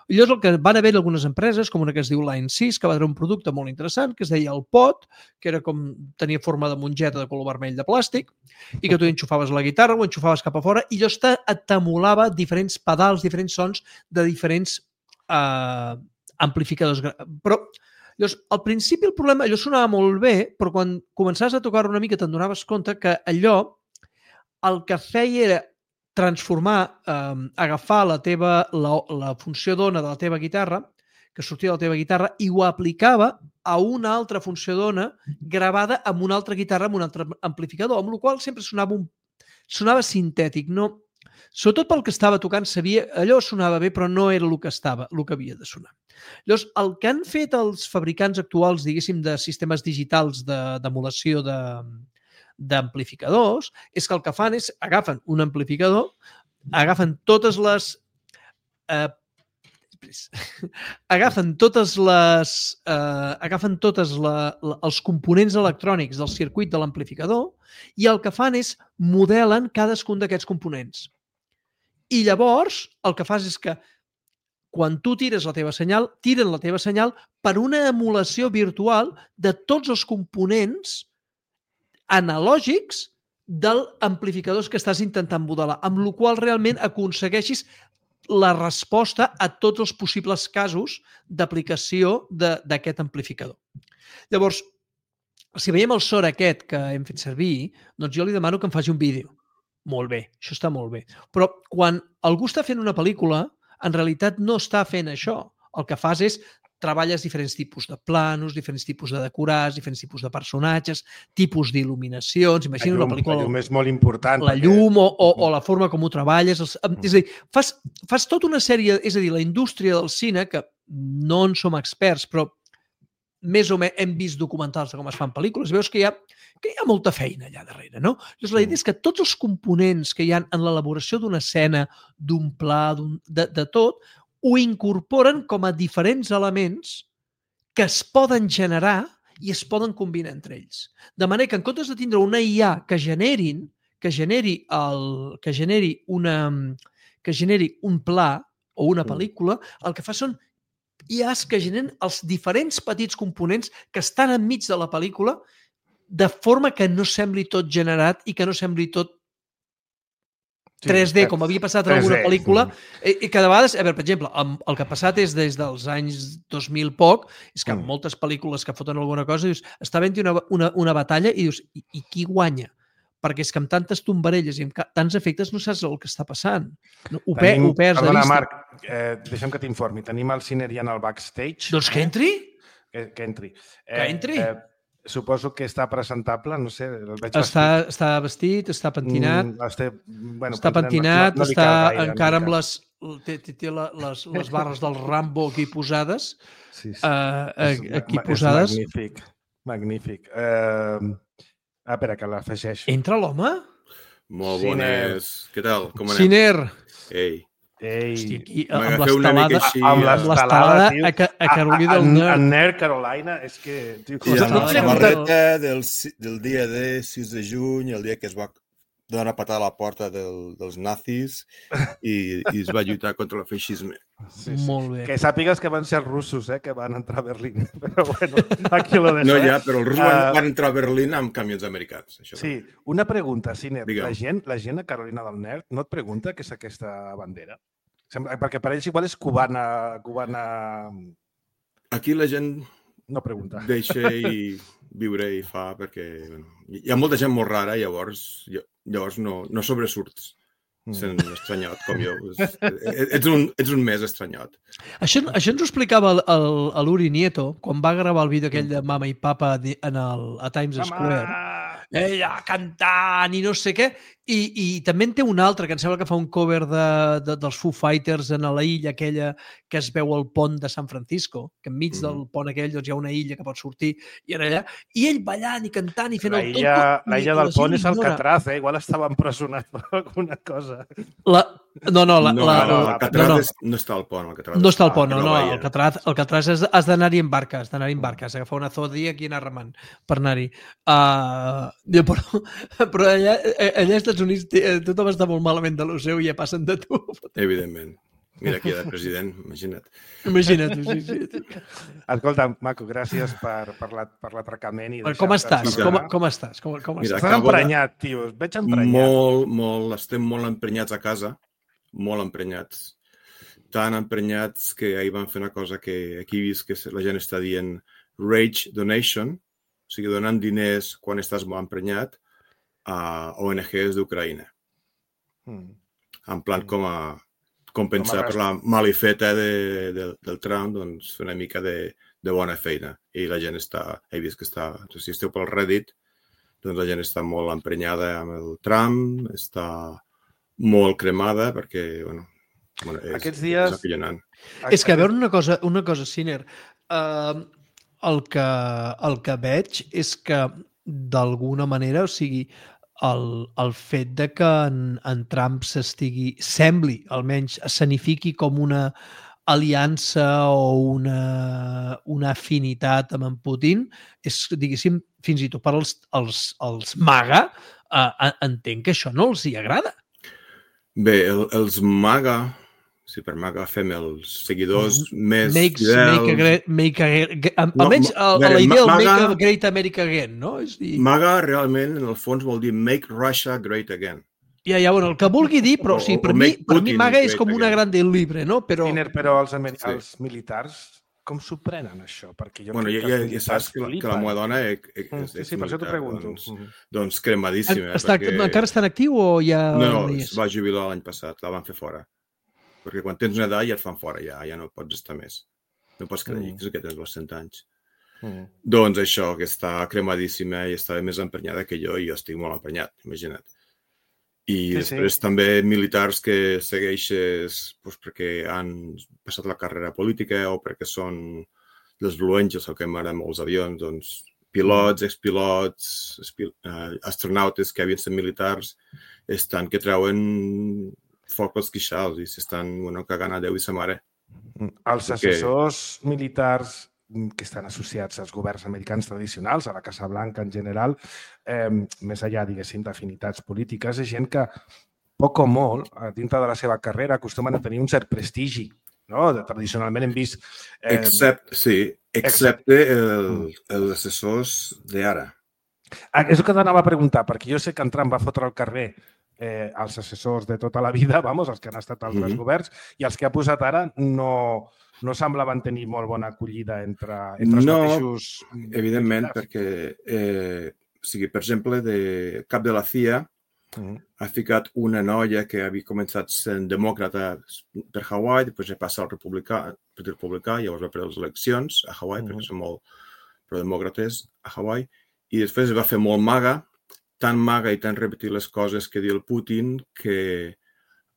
I llavors el que van haver algunes empreses, com una que es diu Line sis, que va treure un producte molt interessant, que es deia el Pot, que era com, tenia forma de mongeta de color vermell de plàstic, i que tu enxufaves la guitarra, ho enxufaves cap a fora, i llavors t'emulava diferents pedals, diferents sons de diferents eh, amplificadors. Però llavors, al principi el problema, allò sonava molt bé, però quan començaves a tocar una mica te'n donaves compte que allò el que feia era transformar, eh, agafar la teva la, la funció d'ona de la teva guitarra, que sortia de la teva guitarra, i ho aplicava a una altra funció d'ona gravada amb una altra guitarra, amb un altre amplificador, amb la qual sempre sonava, un, sonava sintètic. No, sobretot pel que estava tocant, sabia, allò sonava bé, però no era el que estava, el que havia de sonar. Llavors, el que han fet els fabricants actuals, diguéssim, de sistemes digitals d'emulació de, d'amplificadors, és que el que fan és agafen un amplificador, agafen totes les eh, agafen totes les eh, agafen totes la, la, els components electrònics del circuit de l'amplificador i el que fan és modelen cadascun d'aquests components. I llavors el que fas és que quan tu tires la teva senyal, tiren la teva senyal per una emulació virtual de tots els components analògics dels amplificadors que estàs intentant modelar, amb la qual realment aconsegueixis la resposta a tots els possibles casos d'aplicació d'aquest amplificador. Llavors, si veiem el sort aquest que hem fet servir, doncs jo li demano que em faci un vídeo. Molt bé, això està molt bé. Però quan algú està fent una pel·lícula, en realitat no està fent això. El que fas és treballes diferents tipus de planos, diferents tipus de decorats, diferents tipus de personatges, tipus d'il·luminacions. Imagina una pel·lícula... La llum és molt important. La llum o, o, o la forma com ho treballes. Els, és a dir, fas, fas tota una sèrie... És a dir, la indústria del cine, que no en som experts, però més o menys hem vist documentals de com es fan pel·lícules, veus que hi ha, que hi ha molta feina allà darrere, no? Llavors, la idea és que tots els components que hi ha en l'elaboració d'una escena, d'un pla, de, de tot, ho incorporen com a diferents elements que es poden generar i es poden combinar entre ells. De manera que en comptes de tindre una I A que generin, que generi, el, que generi, una, que generi un pla o una pel·lícula, el que fa són I As que generen els diferents petits components que estan enmig de la pel·lícula de forma que no sembli tot generat i que no sembli tot tres D, com havia passat en alguna pel·lícula, i que de vegades, a veure, per exemple, el que ha passat és des dels anys dos mil poc, és que en moltes pel·lícules que foten alguna cosa, dius, està havent-hi una, una, una batalla i dius, i, i qui guanya? perquè és que amb tantes tombarelles i amb tants efectes no saps el que està passant. Ho, Tenim, ho perds de perdona, vista. Marc, eh, deixa'm que t'informi. Tenim el Ciner ja en el backstage. Doncs que entri. Que, que entri. Que Eh, entri. Eh, suposo que està presentable, no sé, el veig Està, vestit. està vestit, està pentinat, Mm, este, bueno, està pentinat, no, no li està cal gaire, encara no amb li les, té, té, té la- les, les barres del Rambo aquí posades. cal. Sí, sí. Uh, És aquí ma- posades. És magnífic, magnífic. Uh, ah, espera, que l'afegeixo. Entra l'home? Molt Ciner. bones. Què tal? Com anem? Ciner. Ei, Ei, Hosti, aquí, m'agafeu amb una mica l'estelada, així, amb eh? amb l'estelada tio. a, Ca- a Carolina del a, Nord. a Nerd Carolina, és que... Tio, I Ostres, amb no la et pregunto- samarreta del, si- del dia de sis de juny, el dia que es va donar una patada a la porta del, dels nazis i, i es va lluitar contra el feixisme. sí, sí. Molt bé. Que sàpigues que van ser els russos, eh, que van entrar a Berlín. Però bueno, aquí lo deixo. No, eh? ja, però els russos van, Ah, van entrar a Berlín amb camions americans. Això Sí, una pregunta, Ciner. Digue'm. La gent, la gent a Carolina del Nord no et pregunta què és aquesta bandera? Sembla, perquè per ells igual és cubana, cubana... Aquí la gent No pregunta. deixa i viure i fa perquè bueno, hi ha molta gent molt rara, llavors, llavors no, no sobresurts sent estranyot com jo. És- Ets un, ets un més estranyot. Això, això ens ho explicava el, el, el Uri Nieto quan va gravar el vídeo aquell de Mama i Papa di- en el, a Times Square. Ella cantant i no sé què. I, i també en té un altre, que em sembla que fa un cover de, de, dels Foo Fighters en la illa aquella que es veu al pont de San Francisco, que enmig Mhm. del pont aquell doncs, hi ha una illa que pot sortir i era allà. I ell ballant i cantant i fent La el illa, tonto. la i illa la del gent pont és ignora. Alcatraz, eh? Igual estava empresonat per alguna cosa. La, no, no, la, no, la, no, la, Alcatraz no, no. és- no està al pont. Alcatraz No està al està pont, a no, no, Nova Illa. Alcatraz, Alcatraz has, has d'anar-hi en barca, has d'anar-hi en barca, has d'agafar una zodi aquí i anar remant per anar-hi. Uh, però, però allà, allà als Estats Units té- tothom està molt malament de lo seu i ja passen de tu. Evidentment. Mira aquí el president, imagina't. Imagina't. Sí, sí. Escolta, Maco, gràcies per, per la- per l'atracament. i Com deixar-te estàs? parlar. Com, com estàs? Com, com Mira, estàs? Estàs acabo de- emprenyat, tio. Et veig emprenyat. Molt, molt, estem molt emprenyats a casa, molt emprenyats. Tan emprenyats que ahir van fer una cosa que aquí he vist que la gent està dient rage donation, o sigui, donant diners quan estàs molt emprenyat a O N Ges d'Ucraïna. Mm. En plan com a compensar Com a per la malifeta de, de, del Trump, doncs fer una mica de, de bona feina. I la gent està, he vist que està, si esteu pel Reddit, doncs la gent està molt emprenyada amb el Trump, està molt cremada perquè, bueno, bueno és, Aquests dies- és acollonant. És que a veure una cosa, una cosa, Ciner, uh, el, que, el que veig és que d'alguna manera, o sigui, el, el fet de que en, en Trump s'estigui, sembli, almenys, escenifiqui com una aliança o una, una afinitat amb en Putin, és, diguéssim, fins i tot per als, als, als MAGA, uh, entenc que això no els hi agrada. Bé, el, els MAGA, si per MAGA fem els seguidors més Makes, fidels... make a great, make a, No, almenys ma- a, a veure, la idea del ma- Make MAGA- a Great America Again, no? És dir, MAGA realment, en el fons, vol dir Make Russia Great Again. ja, ja, bueno, el que vulgui dir, però O- sí, o per, mi, make per mi Putin MAGA és great com una again. gran del libre, no? Però, Ciner, però els, amer- Sí. els militars, com s'ho prenen, això? Perquè jo Bueno, crec ja, que ja, els ja militars saps que la, que flipen. la meva dona és, és, Mm, és Sí, sí, per això t'ho militar, pregunto. Doncs, Mhm. doncs cremadíssima. està, perquè... encara està en actiu o ja No, no, hi es és? va jubilar l'any passat, la van fer fora. Perquè quan tens una edat ja et fan fora, ja, ja no pots estar més. No pots creure Mm. que, que tens els cent anys. Mm. Doncs això, que està cremadíssima i està més emprenyada que jo i jo estic molt emprenyat, imagina't. I Sí, després sí. també militars que segueixes doncs, perquè han passat la carrera política o perquè són dels Blue Angels o que m'agraden molts avions, doncs pilots, expilots, espi- eh, astronautes que havien estat militars estan que treuen foc als queixals i s'estan bueno, cagant a Déu i sa mare. Els Perquè- assessors militars que estan associats als governs americans tradicionals, a la Casa Blanca en general, eh, més enllà, diguéssim, d'afinitats polítiques, és gent que, poc o molt, a dintre de la seva carrera, acostumen a tenir un cert prestigi. No? De- Tradicionalment hem vist... Eh, Excepte, sí, excepte el, els assessors d'ara. Ah, és el que t'anava a preguntar, perquè jo sé que en Trump va fotre al carrer eh, els assessors de tota la vida, vamos, els que han estat altres Mhm. governs, i els que ha posat ara no, no semblaven tenir molt bona acollida entre, entre els No, mateixos... Evidentment, militars. perquè eh, o sigui, per exemple, de cap de la C I A mm. ha ficat una noia que havia començat sent demòcrata per Hawaii, després ha passat al republicà, per republicà, llavors va perdre les eleccions a Hawaii, mm. perquè són molt prodemòcrates a Hawaii, i després es va fer molt maga, tan maga i tan repetir les coses que diu el Putin que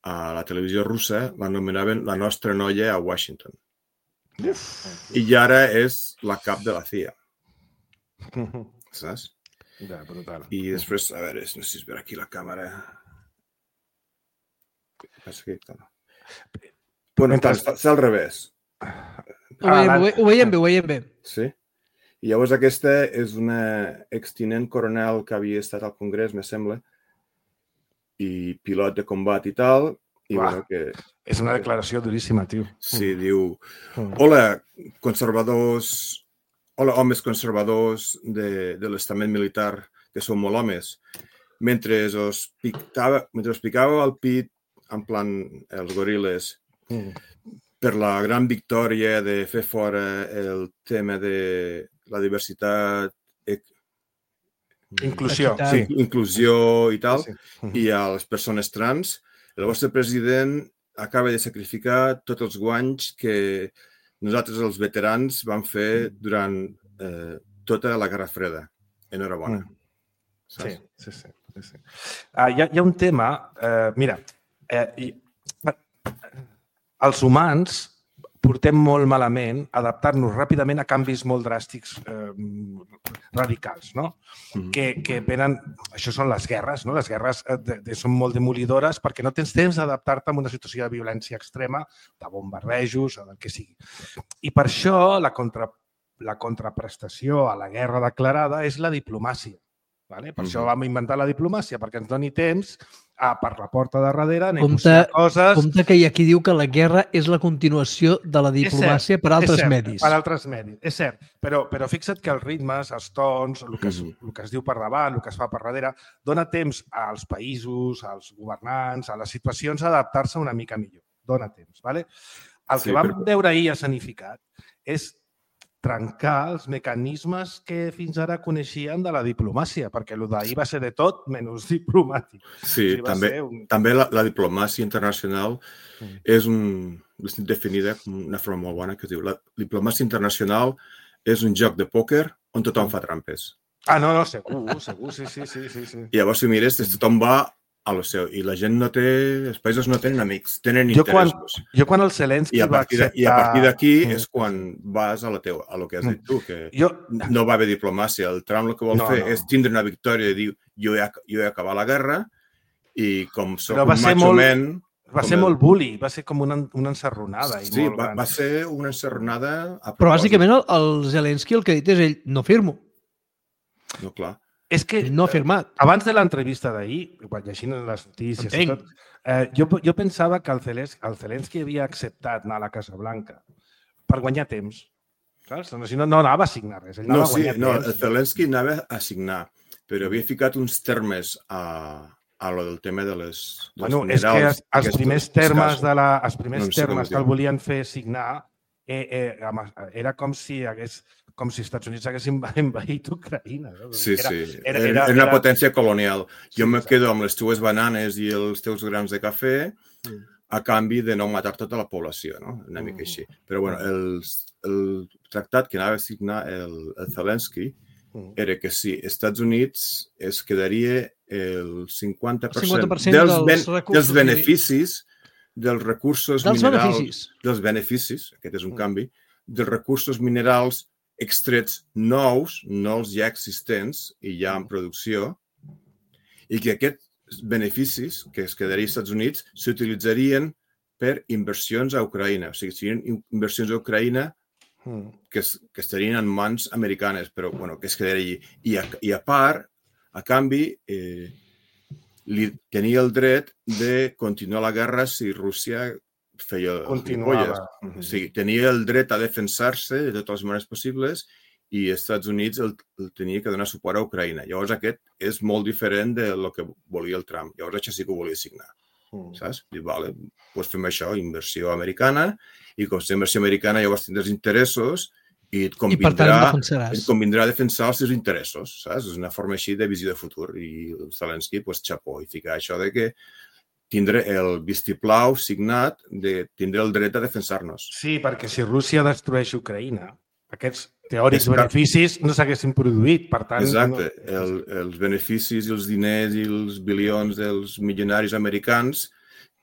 a la televisió russa l'anomenaven la nostra noia a Washington. Uf. I ara és la cap de la C I A. Saps? Ja, brutal. I després, a veure, no sé si es veu aquí la càmera. Passa que... Bueno, Mentre... és al revés. Ho veiem, ah, ho veiem bé, ho veiem bé. Sí? I llavors aquesta és una extinent coronel que havia estat al Congrés, me sembla, i pilot de combat i tal. I Uah, bueno, que... És una declaració duríssima, tio. Sí, mm. diu, hola, conservadors, hola, homes conservadors de, de l'estament militar, que són molt homes. Mentre us picava, mentre us picava el pit, en plan, els goril·les, mm. per la gran victòria de fer fora el tema de la diversitat, inclusió, sí. inclusió i tal, sí, sí. i a les persones trans, el vostre president acaba de sacrificar tots els guanys que nosaltres, els veterans, vam fer durant eh, tota la Guerra Freda. Enhorabona. Mm. Sí, sí, sí. sí, sí. Uh, hi, ha, hi ha un tema, uh, mira, uh, i, uh, els humans portem molt malament adaptar-nos ràpidament a canvis molt dràstics, eh, radicals, no? Mm-hmm. Que, que venen... Això són les guerres, no? Les guerres de, de, són molt demolidores perquè no tens temps d'adaptar-te a una situació de violència extrema, de bombardejos, o del que sigui. I per això la, contra, la contraprestació a la guerra declarada és la diplomàcia. Vale? Per mm-hmm. això vam inventar la diplomàcia, perquè ens doni temps a, per la porta de darrere, negociar compte, coses... Compte que hi ha qui diu que la guerra és la continuació de la diplomàcia cert, per altres cert, medis. Per altres medis, és cert. Però, però fixa't que els ritmes, els tons, el que, es, el que es diu per davant, el que es fa per darrere, dona temps als països, als governants, a les situacions a adaptar-se una mica millor. Dona temps. Vale? El que sí, vam però... veure ahir escenificat és trencar els mecanismes que fins ara coneixien de la diplomàcia, perquè el d'ahir va ser de tot menys diplomàtic. Sí, o sigui, també, un... també la, la diplomàcia internacional mm. és un, definida com una forma molt bona, que es diu la diplomàcia internacional és un joc de pòquer on tothom fa trampes. Ah, no, no, segur, segur, sí, sí, sí. sí, sí. I llavors, si mires, tothom va a lo seu. I la gent no té... Els països no tenen amics, tenen jo interessos. Quan, jo quan el Zelensky va acceptar... I a partir d'aquí és quan vas a, la teu, a lo que has dit tu, que jo... no va haver diplomàcia. El Trump el que vol no, fer no. és tindre una victòria i dir jo he, jo he acabat la guerra i com soc un macho man... Va ser molt bully, va ser com una, una encerronada. Sí, i molt va, va ser una encerronada... Però bàsicament el, el Zelensky el que ha dit és ell, no firmo. No, clar. És que no ha firmat. Abans de l'entrevista d'ahir, quan llegint les notícies i tot, eh, jo, jo pensava que el Zelensky, el Zelensky havia acceptat anar a la Casa Blanca per guanyar temps. Saps? Si no, no anava a signar res. Ell no, anava sí, a no, temps. El Zelensky anava a signar, però havia ficat uns termes a, a lo del tema de les, dels bueno, minerals. És que els, els primers termes, de la, els primers no termes que el volien fer signar eh, eh, era com si hagués... com si els Estats Units haguessin envaït Ucraïna. No? Sí, era, sí. Era, era, era una potència colonial. Jo sí, me quedo amb les teues bananes i els teus grans de cafè mm. a canvi de no matar tota la població, no? Una mica així. Però bueno, el, el tractat que anava a signar el, el Zelensky mm. era que sí, els Estats Units es quedaria el cinquanta per cent, cinquanta per cent dels, dels, ben, dels beneficis dels recursos dels minerals... Beneficis. Dels beneficis. Aquest és un mm. canvi. Dels recursos minerals extrets nous, no els ja existents i ja en producció, i que aquests beneficis que es quedarien als Estats Units s'utilitzarien per inversions a Ucraïna. O sigui, serien inversions a Ucraïna que, es, que estarien en mans americanes, però bueno, que es quedaria allí. I a, i a part, a canvi, eh, li tenia el dret de continuar la guerra si Rússia feia Continuava. O sigui, tenia el dret a defensar-se de totes les maneres possibles i els Estats Units el, el tenia que donar suport a Ucraïna. Llavors aquest és molt diferent de lo que volia el Trump. Llavors això sí que ho volia signar. Mm. Saps? I vale, doncs fem això, inversió americana, i com si inversió americana llavors tindràs interessos i et I per tant em convindrà, defensaràs. et convindrà defensar els seus interessos, saps? És una forma així de visió de futur. I Zelensky, pues, xapó, i ficar això de que tindré el vistiplau signat de tindré el dret a defensar-nos. Sí, perquè si Rússia destrueix Ucraïna, aquests teòrics És que- beneficis no s'haguessin produït, per tant... Exacte. No... El, els beneficis i els diners i els bilions dels milionaris americans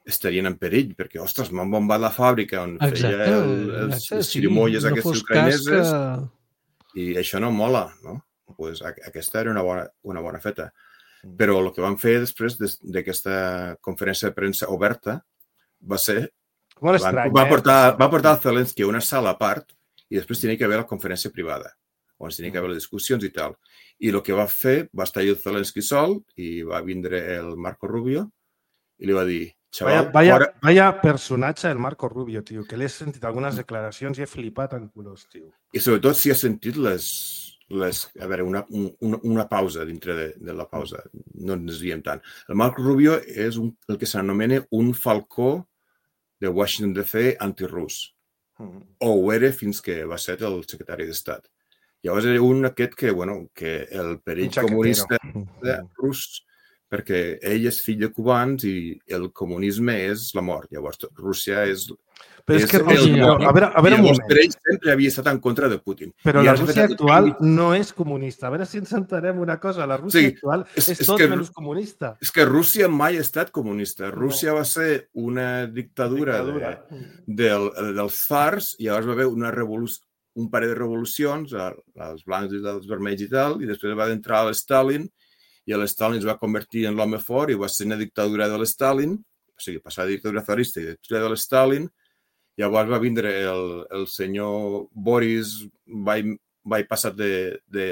estarien en perill, perquè, ostres, m'han bombat la fàbrica on Exacte, feia el, els, exacte, les sí. xirimoies No aquestes fos cas ucraïneses que- i això no mola, no? Pues, a- aquesta era una bona, una bona feta. Però el que van fer després des- d'aquesta conferència de premsa oberta va ser... Molt Van, estrany, va, eh? portar, va portar el Zelensky a una sala a part i després tenia que haver la conferència privada, on tenia que haver les discussions i tal. I el que va fer, va estar el Zelensky sol i va vindre el Marco Rubio i li va dir, Vaya, xaval, vaya, fora... vaya personatge el Marco Rubio, tio, que l'he sentit algunes declaracions i he flipat en colors, tio. I sobretot si has sentit les... les a veure, una, una, una pausa dintre de, de la pausa. No ens desviem tant. El Marco Rubio és un, el que s'anomena un falcó de Washington D C antirus. Mm. O ho era fins que va ser el secretari d'Estat. Llavors era un aquest que, bueno, que el perill Un xaquetero. comunista rus, perquè ell és fill de cubans i el comunisme és la mort. Llavors Rússia és... Però és és que el Rússia... mort. A veure, a veure I un llavors moment. per ell sempre havia estat en contra de Putin. Però I la ara s'ha Rússia fet actual aquest- no és comunista. A veure si ens entenem una cosa. La Rússia Sí, actual és- és, és tot que- menys comunista. És que Rússia mai ha estat comunista. Rússia va ser una dictadura, Dictadura. De, del, dels zars i llavors va haver una revolució, un parell de revolucions, els blancs i els vermells i tal, i després va entrar l'Stalin i l'Stalin es va convertir en l'home fort i va ser una dictadura de l'Stalin, o sigui, passar de dictadura zarista i dictadura de l'Stalin. Llavors va vindre el, el senyor Boris, va, va passar de, de,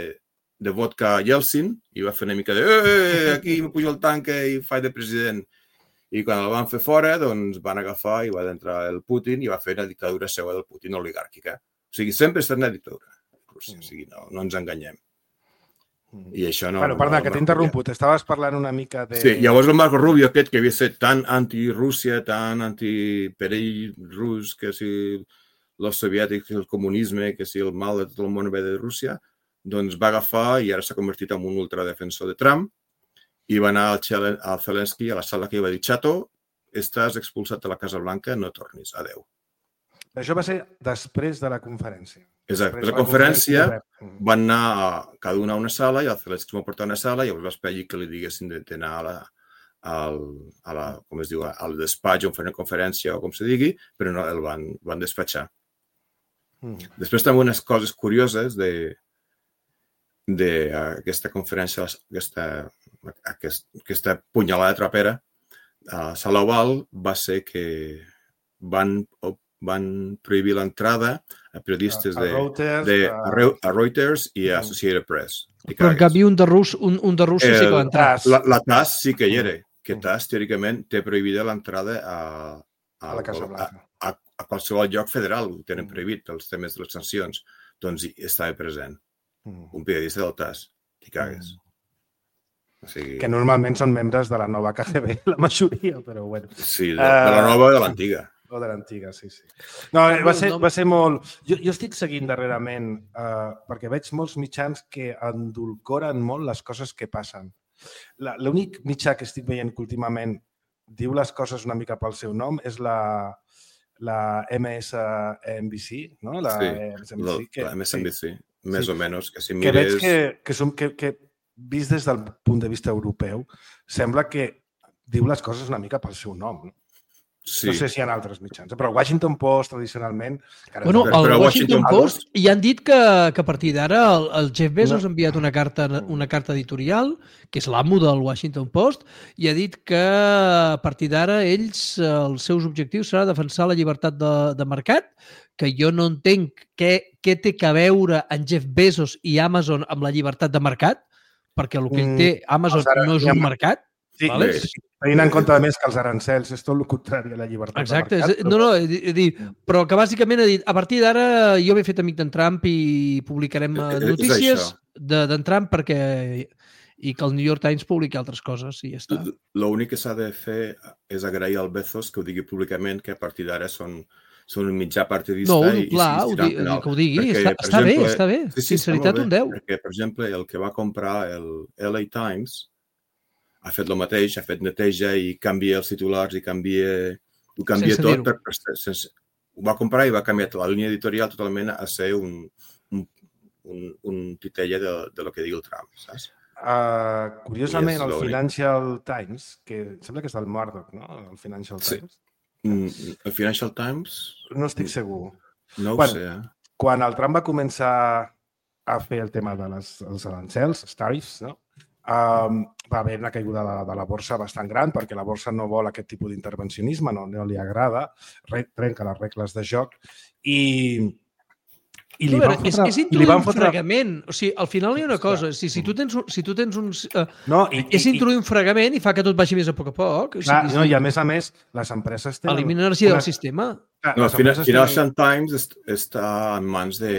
de vodka a Yeltsin i va fer una mica de eh, aquí me pujo el tanque i faig de president. I quan el van fer fora, doncs van agafar i va entrar el Putin i va fer una dictadura seva del Putin oligàrquica. O sigui, sempre ha estat una dictadura. Rússia. O sigui, no, no ens enganyem. I això no... Bueno, perdona, no, que no, t'he interromput. Estaves parlant una mica de... Sí, llavors el Marco Rubio aquest, que havia estat tan anti-Rússia, tan anti-perill rus, que si els soviètics, el comunisme, que si el mal de tot el món ve de Rússia, doncs va agafar i ara s'ha convertit en un ultradefensor de Trump i va anar al, Chelen, al Zelensky a la sala que va dir, Chato, estàs expulsat de la Casa Blanca, no tornis, adeu. Això va ser després de la conferència. Exacte. Després La de conferència conferència van anar a cada una a una sala i el Zelensky va portar a una sala i llavors va esperar que li diguessin d'anar a la, al, a la, com es diu, al despatx on fer una conferència o com se digui, però no, el van, van despatxar. Mm. Després també unes coses curioses de d'aquesta conferència, aquesta, aquest, aquesta punyalada trapera a Sala Oval va ser que van, van prohibir l'entrada a periodistes A- a de, Reuters, de, a- a, Reu- a Reuters i a Associated Press. I Però en cagues. canvi un de, Rus, un, un de Rússia sí que va entrar. Tas. La, la T A S sí que hi era, que Mm. T A S teòricament té prohibida l'entrada a, a, a la Casa a, Blanca. a, a qualsevol lloc federal, ho tenen Mm. prohibit pels temes de les sancions. Doncs hi estava present Mm. un periodista del T A S. T'hi cagues. O sigui, Que normalment són membres de la nova K G B, la majoria, però bueno. sí, de, de la nova o de l'antiga. O de l'antiga, sí, sí. No, eh, va ser, va ser molt... Jo, jo estic seguint darrerament eh, perquè veig molts mitjans que endolcoren molt les coses que passen. La- L'únic mitjà que estic veient que últimament diu les coses una mica pel seu nom és la, la M S N B C, no? La Sí, M S N B La, C, que, la M S N B C, més Sí. o menys. Que si que veig mires... que, que, som, que, que vist des del punt de vista europeu, sembla que diu les coses una mica pel seu nom. No, Sí. no sé si hi ha altres mitjans, eh, però el Washington Post, tradicionalment... Encara Bueno, és- el Però Washington Washington Post Post- ja han dit que, que a partir d'ara el, el Jeff Bezos No. ha enviat una carta, una carta editorial, que és l'amo del Washington Post, i ha dit que a partir d'ara ells, eh, els seus objectius serà defensar la llibertat de, de mercat, que jo no entenc què, què té que veure en Jeff Bezos i Amazon amb la llibertat de mercat, perquè el que ell Mm, té, Amazon, els ara- no és un mercat. Sí, Vale. sí, tenint en compte a més que els arancels és tot el contrari a la llibertat Exacte. de mercat. És, no, no, he, he dit, però que bàsicament ha dit, a partir d'ara jo m'he fet amic d'en Trump i publicarem eh, És- és notícies això. de- d'en Trump perquè i que el New York Times publiqui altres coses i ja està. L'únic que s'ha de fer és agrair al Bezos que ho digui públicament, que a partir d'ara són són un mitjà partidista. No, i, clar, i, ho i di, no. que ho digui, perquè, està, està exemple, bé, està bé. Sí, sí, Sinceritat, està un deu. Perquè, per exemple, el que va comprar el L A Times ha fet el mateix, ha fet neteja i canvia els titulars i canvia, ho canvia Sense tot. dir-ho. Per, per, sense, ho va comprar i va canviar la línia editorial totalment a ser un, un, un, un titella de, de lo que digui el Trump, saps? Uh, curiosament, I és el l'únic. Financial Times, que sembla que és del Murdoch, no? El Financial Sí. Times. Mm, el Financial Times? No estic segur. No ho Bueno, sé, eh? Quan el Trump va començar a fer el tema dels els arancels, els tariffs, no? Um, va haver una caiguda de, de la borsa bastant gran perquè la borsa no vol aquest tipus d'intervencionisme, no, no li agrada, re, trenca les regles de joc i, i li A veure, van és, fotre... és i li introduir van un fotre... fregament. O sigui, al final hi ha una cosa. Si, si tu tens, un- si tu tens uns... Uh, No, i, és introduir un fregament i fa que tot vagi més a poc a poc. O clar, sigui, no, i a més a més, les empreses tenen... elimina energia una- del sistema. Clar, No, les el Fina- empreses Financial Times est, està en mans de,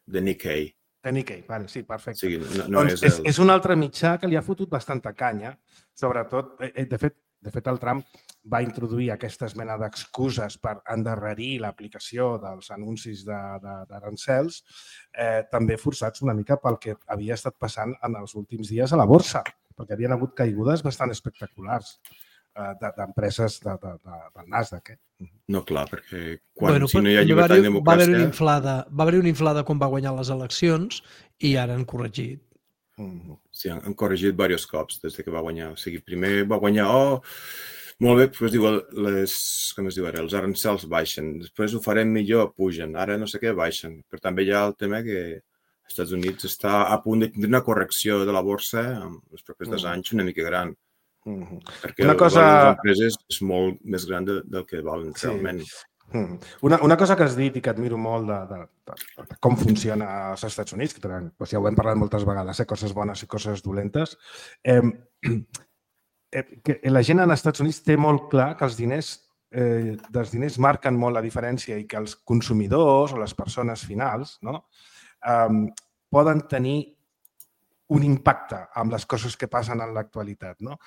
de Nikkei. tenen... Nikkei, vale, sí, O perfecte. sigui, no, no doncs és és, el... és un altre mitjà que li ha fotut bastanta canya, sobretot, eh, de fet, de fet el Trump va introduir aquesta mena d'excuses per endarrerir l'aplicació dels anuncis de- de- d'arancels, eh, també forçats una mica pel que havia estat passant en els últims dies a la borsa, perquè havien hagut caigudes bastant espectaculars eh, de- d'empreses de, de, de, del Nasdaq. Eh? No, clar, perquè quan, Bueno, si no hi ha va llibertat haver-hi- i va haver-hi una democràcia... inflada, va haver una inflada quan va guanyar les eleccions i ara han corregit. Mm. Sí, han, han corregit diversos cops des de que va guanyar. O sigui, primer va guanyar, oh, molt bé, després diu, les, com es diu ara, els arancels baixen, després ho farem millor, pugen, ara no sé què, baixen. Però també hi ha el tema que als Estats Units està a punt de tindre una correcció de la borsa en els propers dos Mm. anys una mica gran, Mm. perquè Una el cosa- valor de les empreses és molt més gran de, del que valen Sí. realment. Mm. Una, una cosa que has dit i que admiro molt de, de, de, de com funciona als Estats Units, que tenen, doncs ja ho hem parlat moltes vegades, eh, coses bones i coses dolentes, eh, eh, que la gent als Estats Units té molt clar que els diners, eh, dels diners marquen molt la diferència i que els consumidors o les persones finals no, eh, poden tenir un impacte amb les coses que passen en l'actualitat. No?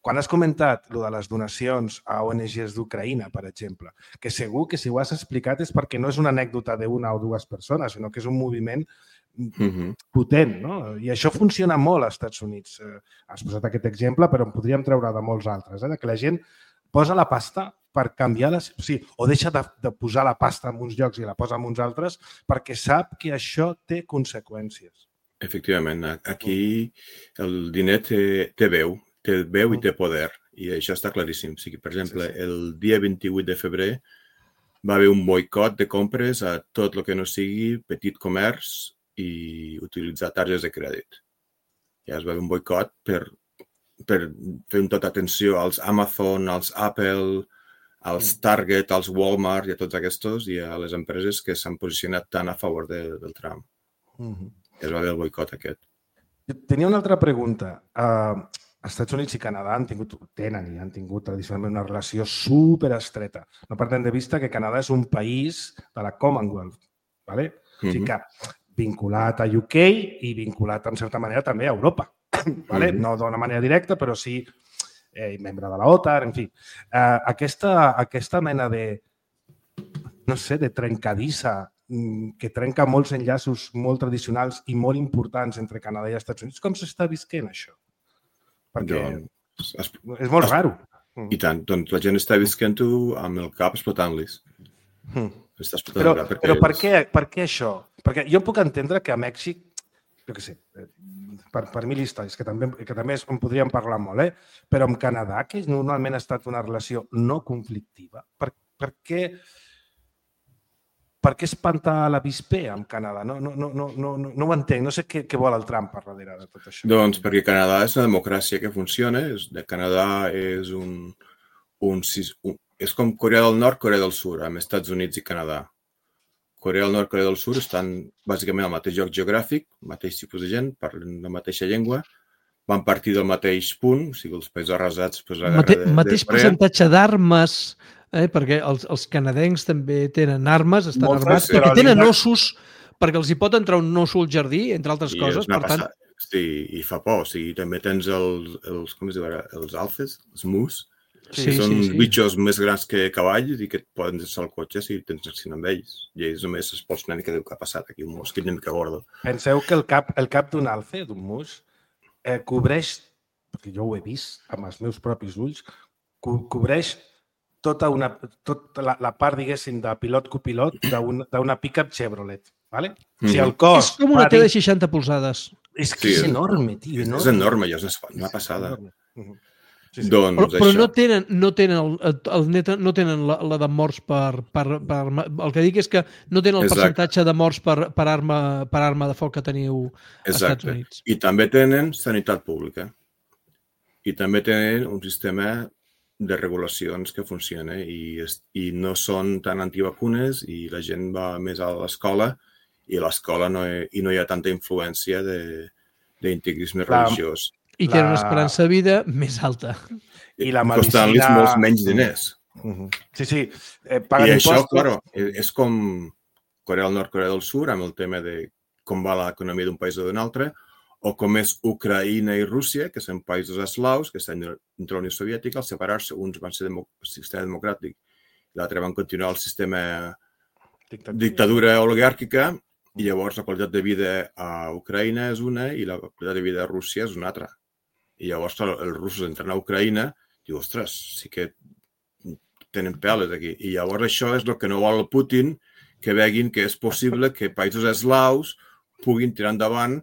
Quan has comentat lo de les donacions a O N Ges d'Ucraïna, per exemple, que segur que si ho has explicat és perquè no és una anècdota d'una o dues persones, sinó que és un moviment Mm-hmm. potent. No? I això funciona molt als Estats Units. Eh, has posat aquest exemple, però en podríem treure de molts altres. Eh? De que la gent posa la pasta per canviar les... O sigui, o deixa de, de posar la pasta en uns llocs i la posa en uns altres perquè sap que això té conseqüències. Efectivament, aquí el diner té, té veu, té veu i té poder, i això està claríssim. O sigui, per exemple, Sí, sí. el dia vint-i-vuit de febrer va haver un boicot de compres a tot el que no sigui petit comerç i utilitzar targetes de crèdit. Ja es va haver un boicot per, per fer un tot atenció als Amazon, als Apple, als Target, als Walmart i a tots aquests i a les empreses que s'han posicionat tant a favor de, del Trump. Mm-hmm. Es va haver el boicot aquest. Tenia una altra pregunta. Uh, els Estats Units i Canadà han tingut, tenen i han tingut tradicionalment una relació superestreta. No perdem de vista que Canadà és un país de la Commonwealth, ¿vale? O sigui que vinculat a U K i vinculat, en certa manera, també a Europa. ¿Vale? Mhm. No d'una manera directa, però sí eh, membre de la OTAN, en fi. Uh, aquesta, aquesta mena de, no sé, de trencadissa que trenca molts enllaços molt tradicionals i molt importants entre Canadà i Estats Units. Com s'està visquent això? Perquè Doncs, es, és molt es- raro. I tant, doncs la gent està visquent-ho amb el cap explotant-los. Mm. Està explotant Però, el cap perquè però per, és- què, per què això? Perquè jo puc entendre que a Mèxic, jo què sé, eh, per, per mil històries, que també, que també en podríem parlar molt, eh? Però amb Canadà, que normalment ha estat una relació no conflictiva, per, per què... Per què espantar l'avispé amb Canadà? No, no, no, no, no, no ho entenc. No sé què, què vol el Trump per darrere de tot això. Doncs perquè Canadà és una democràcia que funciona. És, de Canadà és un, un, sis- un... És com Corea del Nord, Corea del Sud, amb Estats Units i Canadà. Corea del Nord i Corea del Sud estan bàsicament al mateix lloc geogràfic, mateix tipus de gent, parlen la mateixa llengua, van partir del mateix punt, o sigui, els països arrasats després de la Mate, guerra de, mateix de Corea. percentatge d'armes, eh, perquè els, els canadencs també tenen armes, estan Moltes, armats, però perquè tenen l'índex- ossos, perquè els hi pot entrar un osso al jardí, entre altres I coses, és una per tant, passada. Sí, i fa por. O sigui, també tens els, els com es diu ara, els alfes, els mus, Sí, són sí, sí. bitxos més grans que cavalls i que et poden deixar el cotxe si tens accident amb ells. I ells només es pots anar que deu que ha passat aquí un mosquit una mica gordo. Penseu que el cap, el cap d'un alce, d'un mus, eh, cobreix, perquè jo ho he vist amb els meus propis ulls, co cobreix tota, una, tota la, la part, diguéssim, de pilot-copilot d'una pick-up Chevrolet. Vale? Mm. Si el cos... És com una T de seixanta polzades. És que sí, és enorme, tio. Enorme. És enorme, ja és una passada. Sí, sí. Doncs, però però no tenen, no tenen, el, el net, no tenen la, la de morts per, per, per... El que dic és que no tenen el Exacte. percentatge de morts per, per, arma, per arma de foc que teniu als Estats Units. I també tenen sanitat pública. I també tenen un sistema de regulacions que funciona i, i no són tan antivacunes i la gent va més a l'escola i a l'escola no, hi, no hi ha tanta influència d'integrisme religiós. I la... tenen una esperança de vida més alta. I la medicina... Costant-los molts menys diners. Uh -huh. Sí, sí. Eh, paguen I impostos. això, claro, és com Corea del Nord, Corea del Sud, amb el tema de com va l'economia d'un país o d'un altre, o com és Ucraïna i Rússia, que són països eslaus, que estan dintre la Unió Soviètica, al separar-se, uns van ser el sistema democràtic, l'altre van continuar el sistema dictadura, dictadura oligàrquica, i llavors la qualitat de vida a Ucraïna és una i la qualitat de vida a Rússia és una altra. I llavors els russos entren a Ucraïna i diu, ostres, sí que tenen peles aquí. I llavors això és el que no vol el Putin, que veguin que és possible que països eslaus puguin tirar endavant,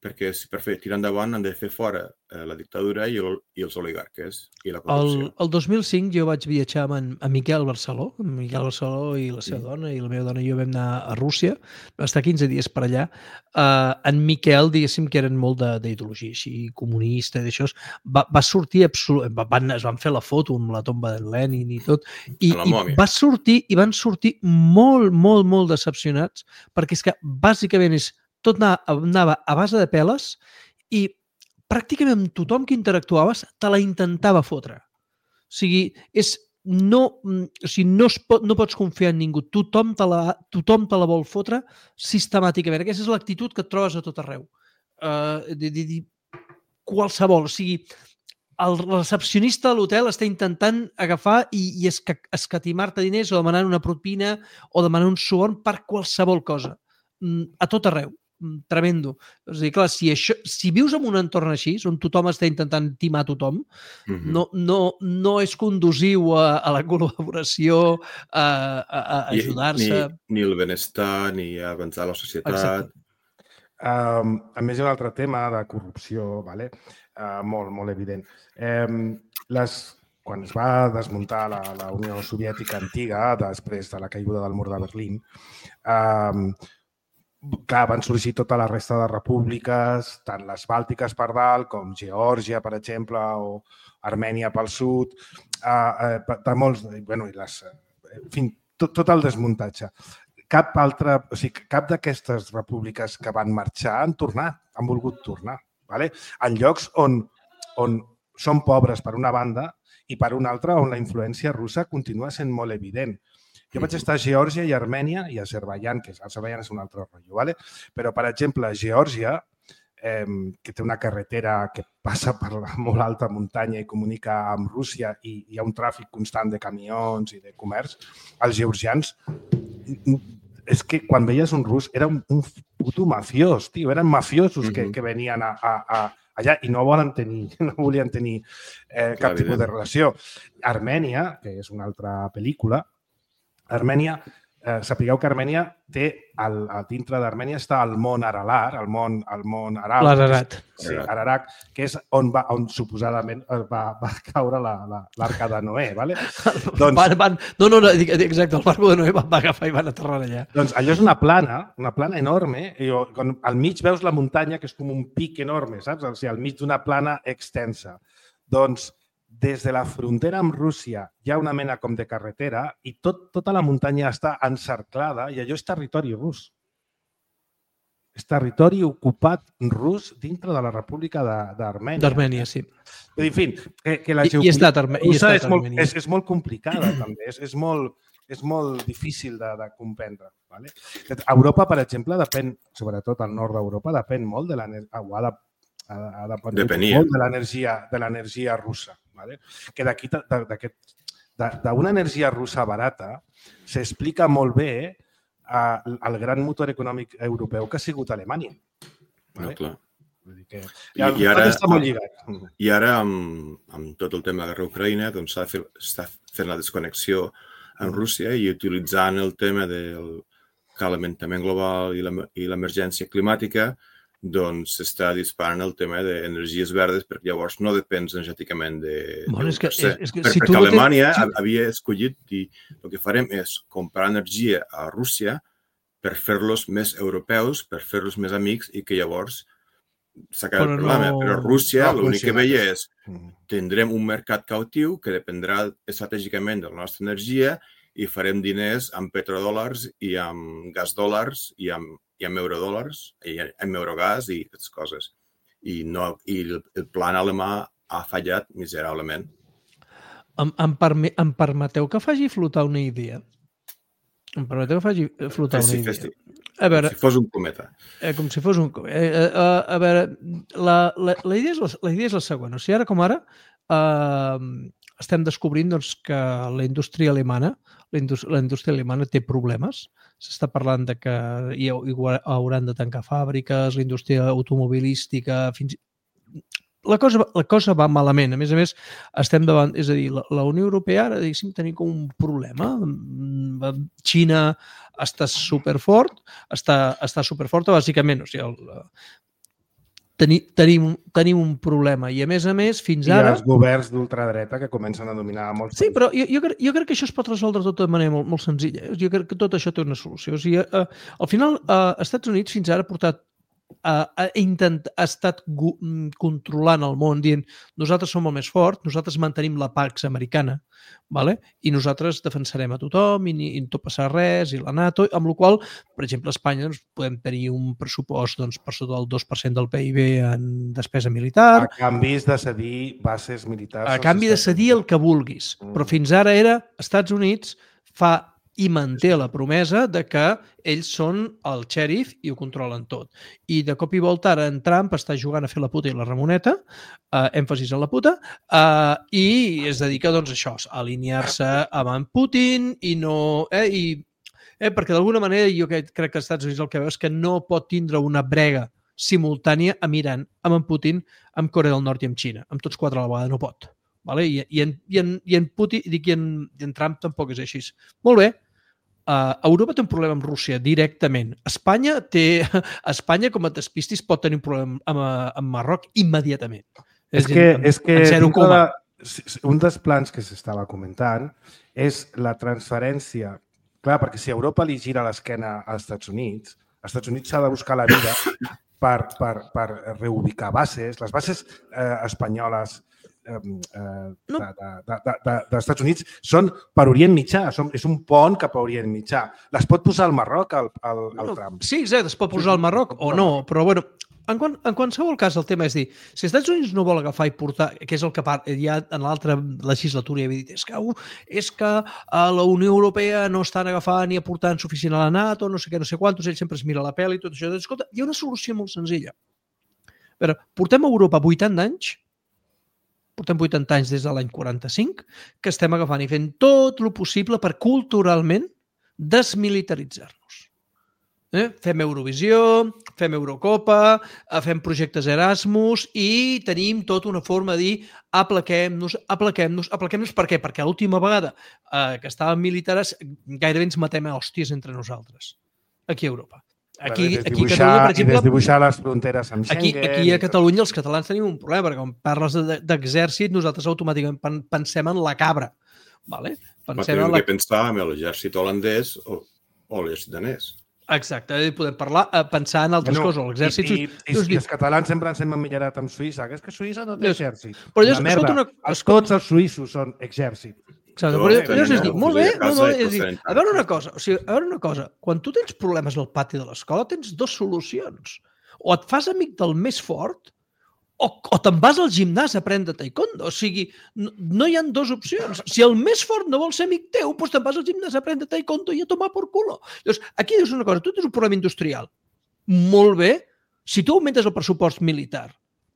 perquè si per fer tirar endavant han de fer fora eh, la dictadura i, el, i els oligarques i la corrupció. El, el dos mil cinc jo vaig viatjar amb en, amb Miquel Barceló, amb Miquel Barceló i la seva sí. dona, i la meva dona i jo vam anar a Rússia, vam estar quinze dies per allà. Uh, en Miquel, diguéssim que eren molt d'ideologia així, comunista, d'això, va, va sortir absolut, van, es van fer la foto amb la tomba de Lenin i tot, i, i va sortir, i van sortir molt, molt, molt decepcionats, perquè és que bàsicament és tot anava a base de peles i pràcticament tothom que interactuaves te la intentava fotre. O sigui, és, no, o sigui, no, es pot, no pots confiar en ningú. Tothom te, la, tothom te la vol fotre sistemàticament. Aquesta és l'actitud que et trobes a tot arreu. Uh, de, de, de, qualsevol. O sigui, el recepcionista de l'hotel està intentant agafar i, i escatimar-te diners o demanar una propina o demanar un suborn per qualsevol cosa. A tot arreu. Tremendo. És a dir, clar, si, això, si vius en un entorn així, on tothom està intentant timar tothom, uh-huh. no, no, no és conduciu a, a la col·laboració, a, a, a ajudar-se... Ni, ni el benestar, ni a avançar la societat. Um, a més, hi ha un altre tema de corrupció, vale? uh, molt, molt evident. Um, les, quan es va desmuntar la, la Unió Soviètica antiga, després de la caiguda del mur de Berlín, um, clar, van sorgir tota la resta de repúbliques, tant les bàltiques per dalt, com Geòrgia, per exemple, o Armènia pel sud, eh, de molts, bueno, i les, en fi, tot, tot el desmuntatge. Cap altra, o sigui, cap d'aquestes repúbliques que van marxar han tornat, han volgut tornar, vale? En llocs on, on són pobres per una banda i per una altra on la influència russa continua sent molt evident. Jo vaig estar a Geòrgia i Armènia i a Azerbaiyán, que Azerbaiyán és un altre rotllo, ¿vale? Però, per exemple, a Geòrgia, eh, que té una carretera que passa per la molt alta muntanya i comunica amb Rússia i hi ha un tràfic constant de camions i de comerç, els georgians, és que quan veies un rus era un, un puto mafiós, tio, eren mafiosos uh-huh. que, que venien a, a, a allà i no volen tenir, no volien tenir eh, cap tipus de relació. Armènia, que és una altra pel·lícula, Armènia, eh, sapigueu que Armènia té, el, a dintre d'Armènia està el mont Aralar, el mont, el mont Aral. L'Ararat. Sí, Ararat, que és on, va, on suposadament va, va caure l'arca de Noé, ¿vale? Doncs, van, van, no, no, no, exacte, el barco de Noé va agafar i van aterrar allà. Doncs allò és una plana, una plana enorme, i quan al mig veus la muntanya, que és com un pic enorme, saps? O sigui, al mig d'una plana extensa. Doncs des de la frontera amb Rússia hi ha una mena com de carretera i tot, tota la muntanya està encerclada i allò és territori rus. És territori ocupat rus dintre de la República d'Armènia. D'Armènia, sí. En fi, que, que la geopolítica russa és, molt, és, és molt complicada també, és, és, molt, és molt difícil de, de comprendre. Vale? Europa, per exemple, depèn, sobretot al nord d'Europa, depèn molt de l'energia, ha de, ha de molt de l'energia de l'energia russa. ¿vale? Que d'aquí, d'una energia russa barata, s'explica molt bé eh, el gran motor econòmic europeu que ha sigut Alemanya. Vale? No, clar. Vull dir que I, i ara, està molt lligat. I ara, amb, amb tot el tema de la guerra a Ucraïna, doncs s'està fent la desconnexió amb Rússia i utilitzant el tema del calentament global i l'emergència climàtica, doncs s'està disparant el tema d'energies verdes perquè llavors no depens energèticament de... Bueno, és que, és, és que, per, si perquè Alemanya tens... havia escollit i el que farem és comprar energia a Rússia per fer-los més europeus, per fer-los més amics i que llavors s'acaba el problema. No... Però Rússia no l'únic que veia és tindrem un mercat cautiu que dependrà estratègicament de la nostra energia i farem diners amb petrodòlars i amb gasdòlars i amb, i amb eurodòlars i amb eurogàs i aquestes coses. I, no, i el, el plan alemà ha fallat miserablement. Em, em, perme, em permeteu que faci flotar una idea? Em permeteu que faci flotar una idea? Festi. A veure, com si fos un cometa. Eh, com si fos un cometa. Eh, eh, a, a veure, la, la, la, idea és la, la idea és la següent. O sigui, ara com ara eh, estem descobrint doncs, que la indústria alemana la indústria, la indústria alemana té problemes. S'està parlant de que hi hauran de tancar fàbriques, la indústria automobilística, fins i La cosa, la cosa va malament. A més a més, estem davant... És a dir, la, la Unió Europea ara, diguéssim, tenim com un problema. Xina està superfort, està, està superforta, bàsicament. O sigui, el, teni, tenim, tenim un problema. I, a més a més, fins I ara... I els governs d'ultradreta que comencen a dominar molts Sí, però jo, jo, crec, jo crec que això es pot resoldre tot de manera molt, molt senzilla. Jo crec que tot això té una solució. O sigui, eh, al final, eh, als Estats Units fins ara ha portat ha, intent, ha estat controlant el món dient nosaltres som el més fort, nosaltres mantenim la Pax americana, vale? I nosaltres defensarem a tothom i, i no passarà res, i la NATO, amb la qual cosa, per exemple, a Espanya doncs, podem tenir un pressupost doncs, per sota del dos per cent del P I B en despesa militar. A canvi de cedir bases militars. A canvi de cedir el que vulguis. Mm. Però fins ara era Estats Units fa i manté la promesa de que ells són el xèrif i ho controlen tot. I de cop i volta ara en Trump està jugant a fer la puta i la Ramoneta, eh, èmfasis en la puta, eh, i es dedica doncs, a això, a alinear-se amb en Putin i no... Eh, i, eh, perquè d'alguna manera jo crec que als Estats Units el que veu és que no pot tindre una brega simultània amb Iran, amb en Putin, amb Corea del Nord i amb Xina. Amb tots quatre a la vegada no pot. Vale? I, i, en, i, en, i en Putin, dic, i en, i en Trump tampoc és així. Molt bé. Uh, Europa té un problema amb Rússia directament. Espanya té... Espanya, com et despistis, pot tenir un problema amb, amb Marroc immediatament. És, és que, en, és que de, un dels plans que s'estava comentant és la transferència. Clar, perquè si Europa li gira l'esquena als Estats Units, als Estats Units s'ha de buscar la vida per, per, per reubicar bases. Les bases eh, espanyoles Eh, eh, dels Estats Units són per Orient Mitjà, són, és un pont cap a Orient Mitjà. Les pot posar al Marroc, al, al, al no, Trump? Sí, exacte, es pot posar al Marroc o no, però bueno, en, qual, en qualsevol cas el tema és dir, si els Estats Units no vol agafar i portar, que és el que ja en l'altra legislatura ja havia dit, és que, uh, és que a la Unió Europea no estan agafant ni aportant suficient a la NATO, no sé què, no sé quantos, ell sempre es mira la pela i tot això. Escolta, hi ha una solució molt senzilla. A veure, portem a Europa vuitanta anys, portem vuitanta anys des de l'any quaranta-cinc, que estem agafant i fent tot el possible per culturalment desmilitaritzar-nos. Eh? Fem Eurovisió, fem Eurocopa, fem projectes Erasmus i tenim tota una forma de dir aplaquem-nos, aplaquem-nos, aplaquem-nos. Per què? Perquè l'última vegada eh, que estàvem militars gairebé ens matem a hòsties entre nosaltres, aquí a Europa. Aquí, aquí a Catalunya, per exemple... I desdibuixar les fronteres amb Schengen... Aquí, aquí a Catalunya els catalans tenim un problema, perquè quan parles d'exèrcit nosaltres automàticament pensem en la cabra. Vale? Pensem en la... que pensar en l'exèrcit holandès o, o l'exèrcit danès. Exacte, podem parlar, pensar en altres bueno, coses. L'exèrcit... I, i, i, i els catalans sempre ens hem emmirallat amb Suïssa, que és que Suïssa no té exèrcit. Però llavors, escolta una... Tots els suïssos són exèrcit. Exacte, però llavors és dir, molt bé, molt bé, és dir, a veure una cosa, o sigui, a veure una cosa, quan tu tens problemes al pati de l'escola tens dues solucions. O et fas amic del més fort o, o te'n vas al gimnàs a aprendre taekwondo. O sigui, no, no hi ha dues opcions. Si el més fort no vol ser amic teu, doncs te'n vas al gimnàs a aprendre taekwondo i a tomar por culo. Llavors, aquí dius una cosa, tu tens un problema industrial. Molt bé, si tu augmentes el pressupost militar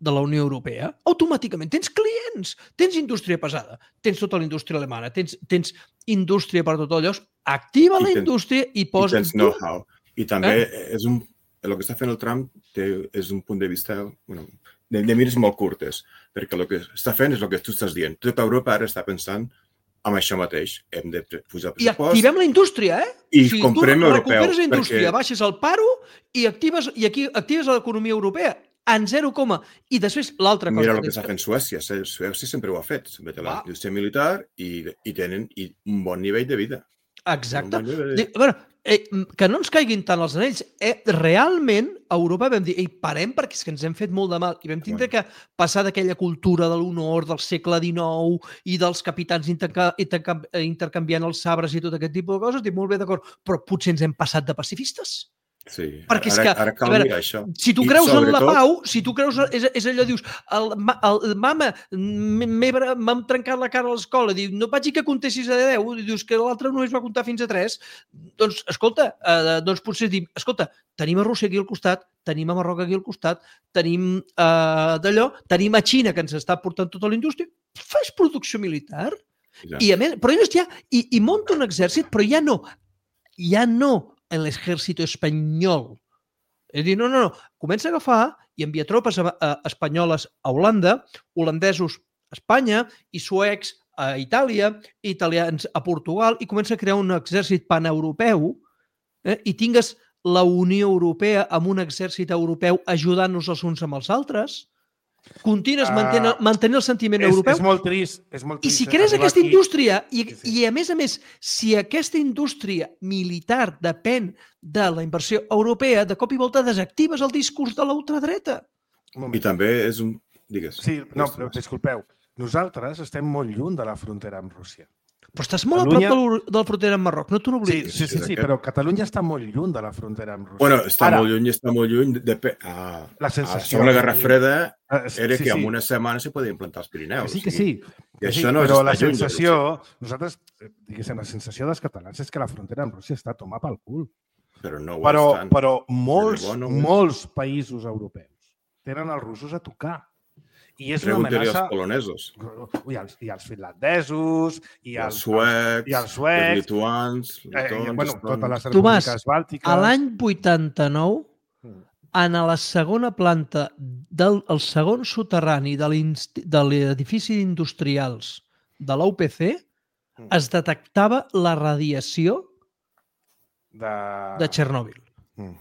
de la Unió Europea, automàticament tens clients, tens indústria pesada, tens tota la indústria alemana, tens, tens indústria per tot allò, activa la indústria i posa... I tens know-how. I també eh? és un... El que està fent el Trump té, és un punt de vista bueno, de, de mires molt curtes, perquè el que està fent és el que tu estàs dient. Tota Europa ara està pensant amb això mateix. Hem de posar pressupost. I activem la indústria, eh? I o sigui, comprem tu europeu. recuperes la indústria, perquè... baixes el paro i actives, i aquí actives l'economia europea en zero coma. I després l'altra cosa... Mira el que està fent Suècia. Suècia sempre ho ha fet. Sempre té la indústria militar i, i tenen i un bon nivell de vida. Exacte. Bon de vida. Bueno, eh, que no ens caiguin tant els anells. Eh, realment, a Europa vam dir, ei, parem perquè és que ens hem fet molt de mal i vam tindre que passar d'aquella cultura de l'honor del segle dinou i dels capitans interca interca intercanviant els sabres i tot aquest tipus de coses. Dic, molt bé, d'acord, però potser ens hem passat de pacifistes. Sí, perquè és ara, que, ara cal veure, mirar això. Si tu creus en la pau, si tu creus, és, és allò, dius, el, el, mama, m'hem trencat la cara a l'escola, diu, no vaig dir que comptessis a deu, dius que l'altre només va comptar fins a tres, doncs, escolta, eh, doncs potser dir, escolta, tenim a Rússia aquí al costat, tenim a Marroc aquí al costat, tenim eh, d'allò, tenim a Xina que ens està portant tota la indústria, fas producció militar, ja. I a més, però ells ja, i, i munta un exèrcit, però ja no, ja no, en l'exèrcit espanyol. És a dir, no, no, no, comença a agafar i envia tropes a, a, espanyoles a Holanda, holandesos a Espanya i suecs a Itàlia, italians a Portugal i comença a crear un exèrcit paneuropeu eh, i tingues la Unió Europea amb un exèrcit europeu ajudant-nos els uns amb els altres, continues uh, mantenint, mantenint el sentiment és, europeu. És molt trist. És molt trist I si crees aquesta aquí... indústria, i, sí, sí. i a més a més, si aquesta indústria militar depèn de la inversió europea, de cop i volta desactives el discurs de la ultradreta. I també és un... Digues. Sí, no, però disculpeu. Nosaltres estem molt lluny de la frontera amb Rússia. Però estàs molt Catalunya... a prop de la frontera amb Marroc, no t'ho n'oblidis. Sí, sí, sí, sí, però Catalunya està molt lluny de la frontera amb Rússia. Bueno, està Ara, molt lluny, està molt lluny. De... A, la sensació... A la Guerra Freda uh, sí, era sí, que en sí. una setmana se podia implantar els Pirineus. Que sí, que sí. I això sí, no però està la lluny sensació, nosaltres, diguéssim, la sensació dels catalans és que la frontera amb Rússia està a tomar pel cul. Però no ho però, estan. Però molts, no molts països europeus tenen els russos a tocar. I és una amenaça... els polonesos. I els, i els finlandesos, i els, els suecs, i els, suecs, els lituans, letons, eh, bueno, totes les Tomàs, repúbliques bàltiques... a l'any vuitanta-nou, en la segona planta del el segon soterrani de l'edifici industrials de l'U P C es detectava la radiació de, de Txernòbil.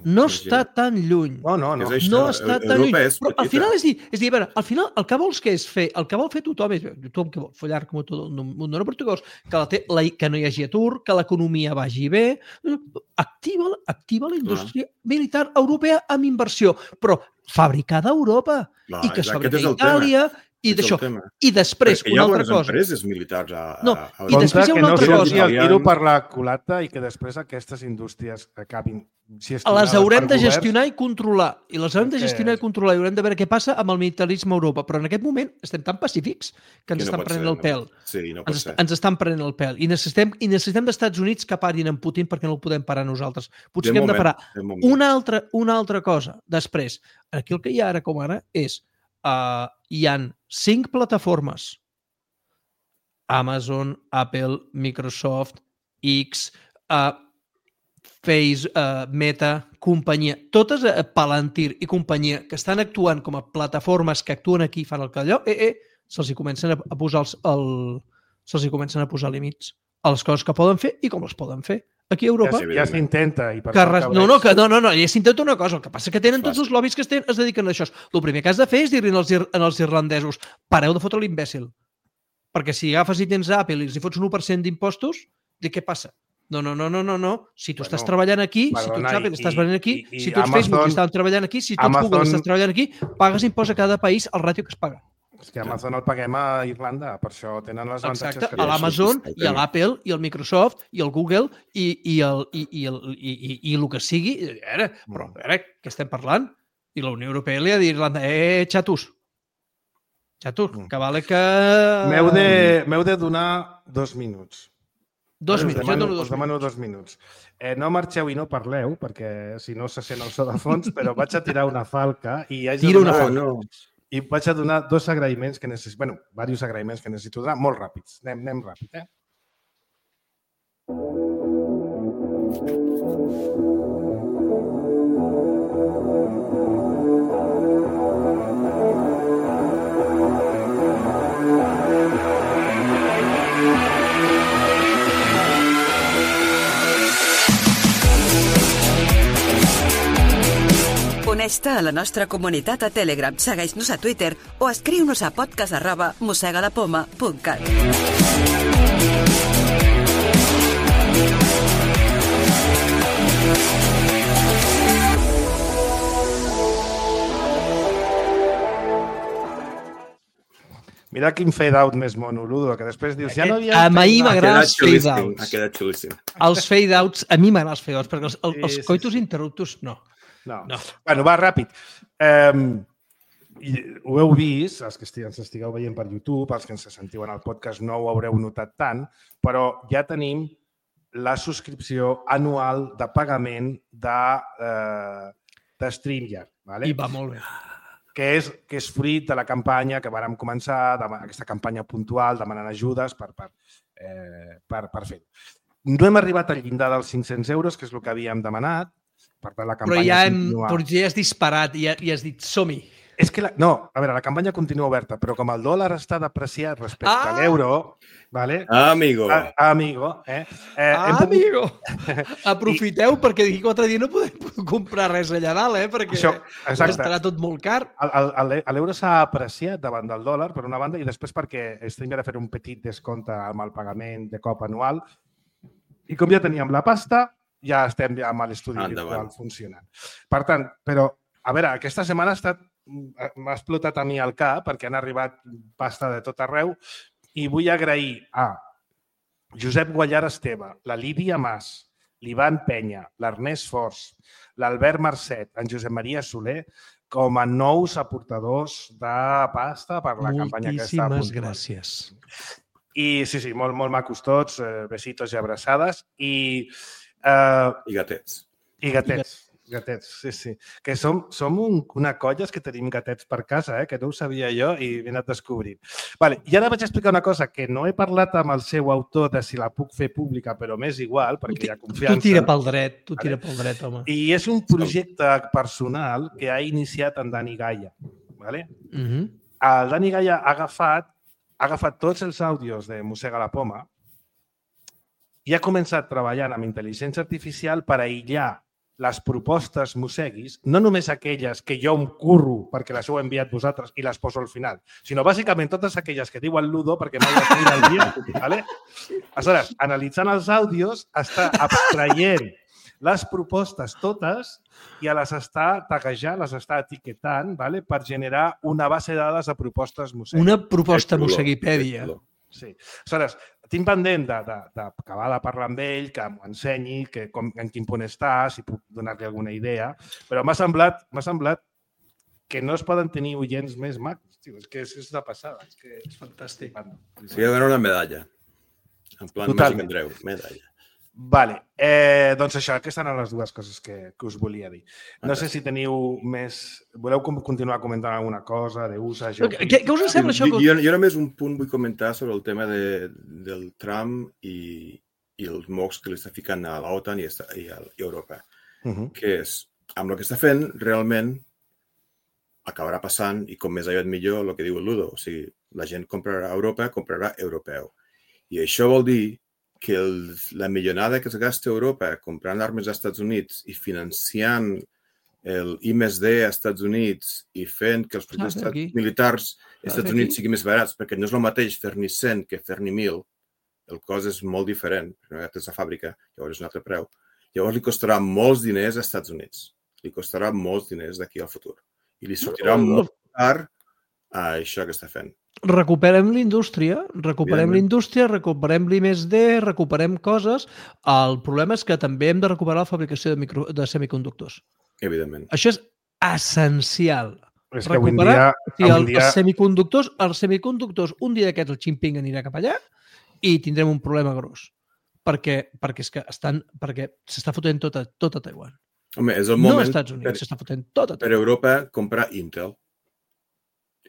No sí, està sí. tan lluny. No, no, no. No està tan lluny. Però al final és dir, és dir, a veure, al final el que vols que és fer, el que vol fer tothom és, tothom que vol follar com tot el mundo no portuguès, que, la té, la, que no hi hagi atur, que l'economia vagi bé, activa, activa la indústria Clar. militar europea amb inversió, però fabricada a Europa Clar, i que es fabrica a Itàlia i d'això. I després, Perquè una altra cosa... hi ha bones empreses militars a... No, a... i després hi ha una altra cosa. Que no el tiro per la culata i que després aquestes indústries acabin... Si les haurem de gestionar i controlar. I les haurem de gestionar i controlar. I haurem de veure què passa amb el militarisme a Europa. Però en aquest moment estem tan pacífics que ens estan prenent el pèl. Sí, no pot ser. Ens estan prenent el pèl. I necessitem, i necessitem d'Estats Units que parin en Putin perquè no el podem parar nosaltres. Potser hem de parar. Una altra, una altra cosa. Després, aquí el que hi ha ara com ara és Uh, hi han cinc plataformes: Amazon, Apple, Microsoft, X, uh, Face, uh, Meta, companyia, totes uh, Palantir i companyia que estan actuant com a plataformes que actuen aquí i fan el que allò, eh, eh, se'ls comencen a, a posar els, el, se'ls comencen a posar límits a les coses que poden fer i com les poden fer. Aquí a Europa... Ja, ja s'intenta. Res... No, no, que, no, no, no, ja s'intenta una cosa. El que passa que tenen tots els lobbies que es, tenen, es dediquen a això. El primer que has de fer és dir-li als, als irlandesos pareu de fotre l'imbècil. Perquè si agafes i tens Apple i els hi fots un u per cent d'impostos, dic, què passa? No, no, no, no, no, no. Si tu bueno, estàs treballant aquí, perdona, si tu ets Apple, i, estàs treballant aquí, i, i, si tu ets Amazon, Facebook i estàs treballant aquí, si tu ets Amazon, Google estàs treballant aquí, pagues impost a cada país el ràtio que es paga. És que Amazon el paguem a Irlanda, per això tenen les avantatges. Exacte, a l'Amazon i a l'Apple i al Microsoft i al Google i, i, el, i, i, el, i, i, i el que sigui. A veure, però a veure, què estem parlant? I la Unió Europea li ha dit a Irlanda, eh, xatos, xatos, que vale que... M'heu de, m'heu de donar dos minuts. Dos minuts, minuts, jo dono dos us demano dos minuts. Eh, no marxeu i no parleu, perquè si no se sent el so de fons, però vaig a tirar una falca i hi ha Tira una donar... falca. No. i vaig a donar dos agraïments que necessito, bueno, diversos agraïments que necessito donar, molt ràpids. Anem, anem ràpid, eh? Uneix-te a la nostra comunitat a Telegram, segueix-nos a Twitter o escriu-nos a podcast arroba mosegalapoma punt cat. Mira quin fade-out més monoludo, que després dius... Ja no havia a mi m'agraden els fade-outs. fade-outs. Ha quedat xulíssim. Els fade-outs, a mi m'agraden els fade-outs, perquè els, els, Sí, els sí, coitus sí. interruptus no. No. No. Bueno, va, ràpid. Um, i ho heu vist, els que ens estigueu veient per YouTube, els que ens sentiu en el podcast no ho haureu notat tant, però ja tenim la subscripció anual de pagament de, uh, de StreamYard. Vale? I va molt bé. Que és, que és fruit de la campanya que vàrem començar, de, aquesta campanya puntual, demanant ajudes per, per, eh, per, per fer-ho. No hem arribat al llindar dels cinc-cents euros, que és el que havíem demanat, per tant la Però campanya ja, hem, continua. però ja has disparat i ja, ja has dit som-hi. És que la, no, a veure, la campanya continua oberta, però com el dòlar està depreciat respecte Ah! a l'euro, vale? Ah, amigo. A, amigo, eh? eh Ah, hem pogut- amigo! Aprofiteu, perquè d'aquí quatre dies no podem comprar res allà dalt, eh? Perquè Això, exacte. estarà tot molt car. El- el- el- L'euro s'ha apreciat davant del dòlar, per una banda, i després perquè estem de fer un petit descompte amb el pagament de cop anual. I com ja teníem la pasta, ja estem ja amb l'estudi Endavant. virtual funcionant. Per tant, però, a veure, aquesta setmana ha estat m'ha explotat a mi el cap perquè han arribat pasta de tot arreu i vull agrair a Josep Guallar Esteve, la Lídia Mas, l'Ivan Penya, l'Ernest Fors, l'Albert Marcet, en Josep Maria Soler, com a nous aportadors de pasta per la campanya que està a Moltíssimes punt. gràcies. I sí, sí, molt, molt macos tots, eh, besitos i abraçades. I, eh, I gatets. i gatets. Gatets, sí, sí. Que som, som un, una colla que tenim gatets per casa, eh? Que no ho sabia jo i m'he anat descobrint. Vale, i ara vaig explicar una cosa que no he parlat amb el seu autor de si la puc fer pública, però m'és igual, perquè hi ha confiança. Tu tira pel dret, tu Vale. tira pel dret, home. I és un projecte personal que ha iniciat en Dani Gaia. Vale? Uh -huh. El Dani Gaia ha agafat, ha agafat tots els àudios de Mossega la Poma i ha començat treballant amb intel·ligència artificial per aïllar les propostes mosseguis, no només aquelles que jo em curro perquè les heu enviat vosaltres i les poso al final, sinó bàsicament totes aquelles que diuen Ludo perquè mai les mira el dia. ¿Vale? Aleshores, analitzant els àudios, està abstraient les propostes totes i les està taguejant, les està etiquetant, ¿vale? Per generar una base de dades de propostes mosseguis. Una proposta És xulo, mosseguipèdia. és xulo. Sí. Aleshores, tinc pendent d'acabar de, de, de parlar amb ell, que m'ho ensenyi, que com, en quin punt està, si puc donar-li alguna idea, però m'ha semblat, m'ha semblat que no es poden tenir oients més macos. Tio, és que és, és de passada. És que és fantàstic. Sí, hi ha una medalla. En plan Totalment. Màgic Andreu, medalla. Vale. Eh, doncs això, aquestes eren les dues coses que, que us volia dir. No sé si teniu més... Voleu com- continuar comentant alguna cosa d'usa, Què, què us sembla això? Jo, jo, jo només un punt vull comentar sobre el tema de, del Trump i, i els mocs que li està ficant a l'OTAN i, esta- i a i a Europa. Uh -huh. Que és, amb el que està fent, realment acabarà passant, i com més aviat millor, el que diu el Ludo. O sigui, la gent comprarà a Europa, comprarà europeu. I això vol dir que el, la millonada que es gasta a Europa comprant armes als Estats Units i financiant el I més D als Estats Units i fent que els projectes Ah, aquí. militars als Estats aquí. Units siguin més barats, perquè no és el mateix fer-n'hi cent que fer-n'hi mil, el cost és molt diferent, perquè és la fàbrica, llavors és un altre preu. Llavors li costarà molts diners als Estats Units. Li costarà molts diners d'aquí al futur. I li sortirà No, no. molt car a això que està fent. Recuperem l'indústria, recuperem Evidentment. l'indústria, recuperem l'I més D, recuperem coses. El problema és que també hem de recuperar la fabricació de, micro, de semiconductors. Evidentment. Això és essencial. És que avui en Recuperar dia... si avui el, en dia... els semiconductors, els semiconductors, un dia d'aquests el Jinping anirà cap allà i tindrem un problema gros. Perquè, perquè és que estan, perquè s'està fotent tot a, tot a Taiwan. Home, és el No moment als Estats Units, per, s'està fotent tot a per Taiwan. Europa comprar Intel.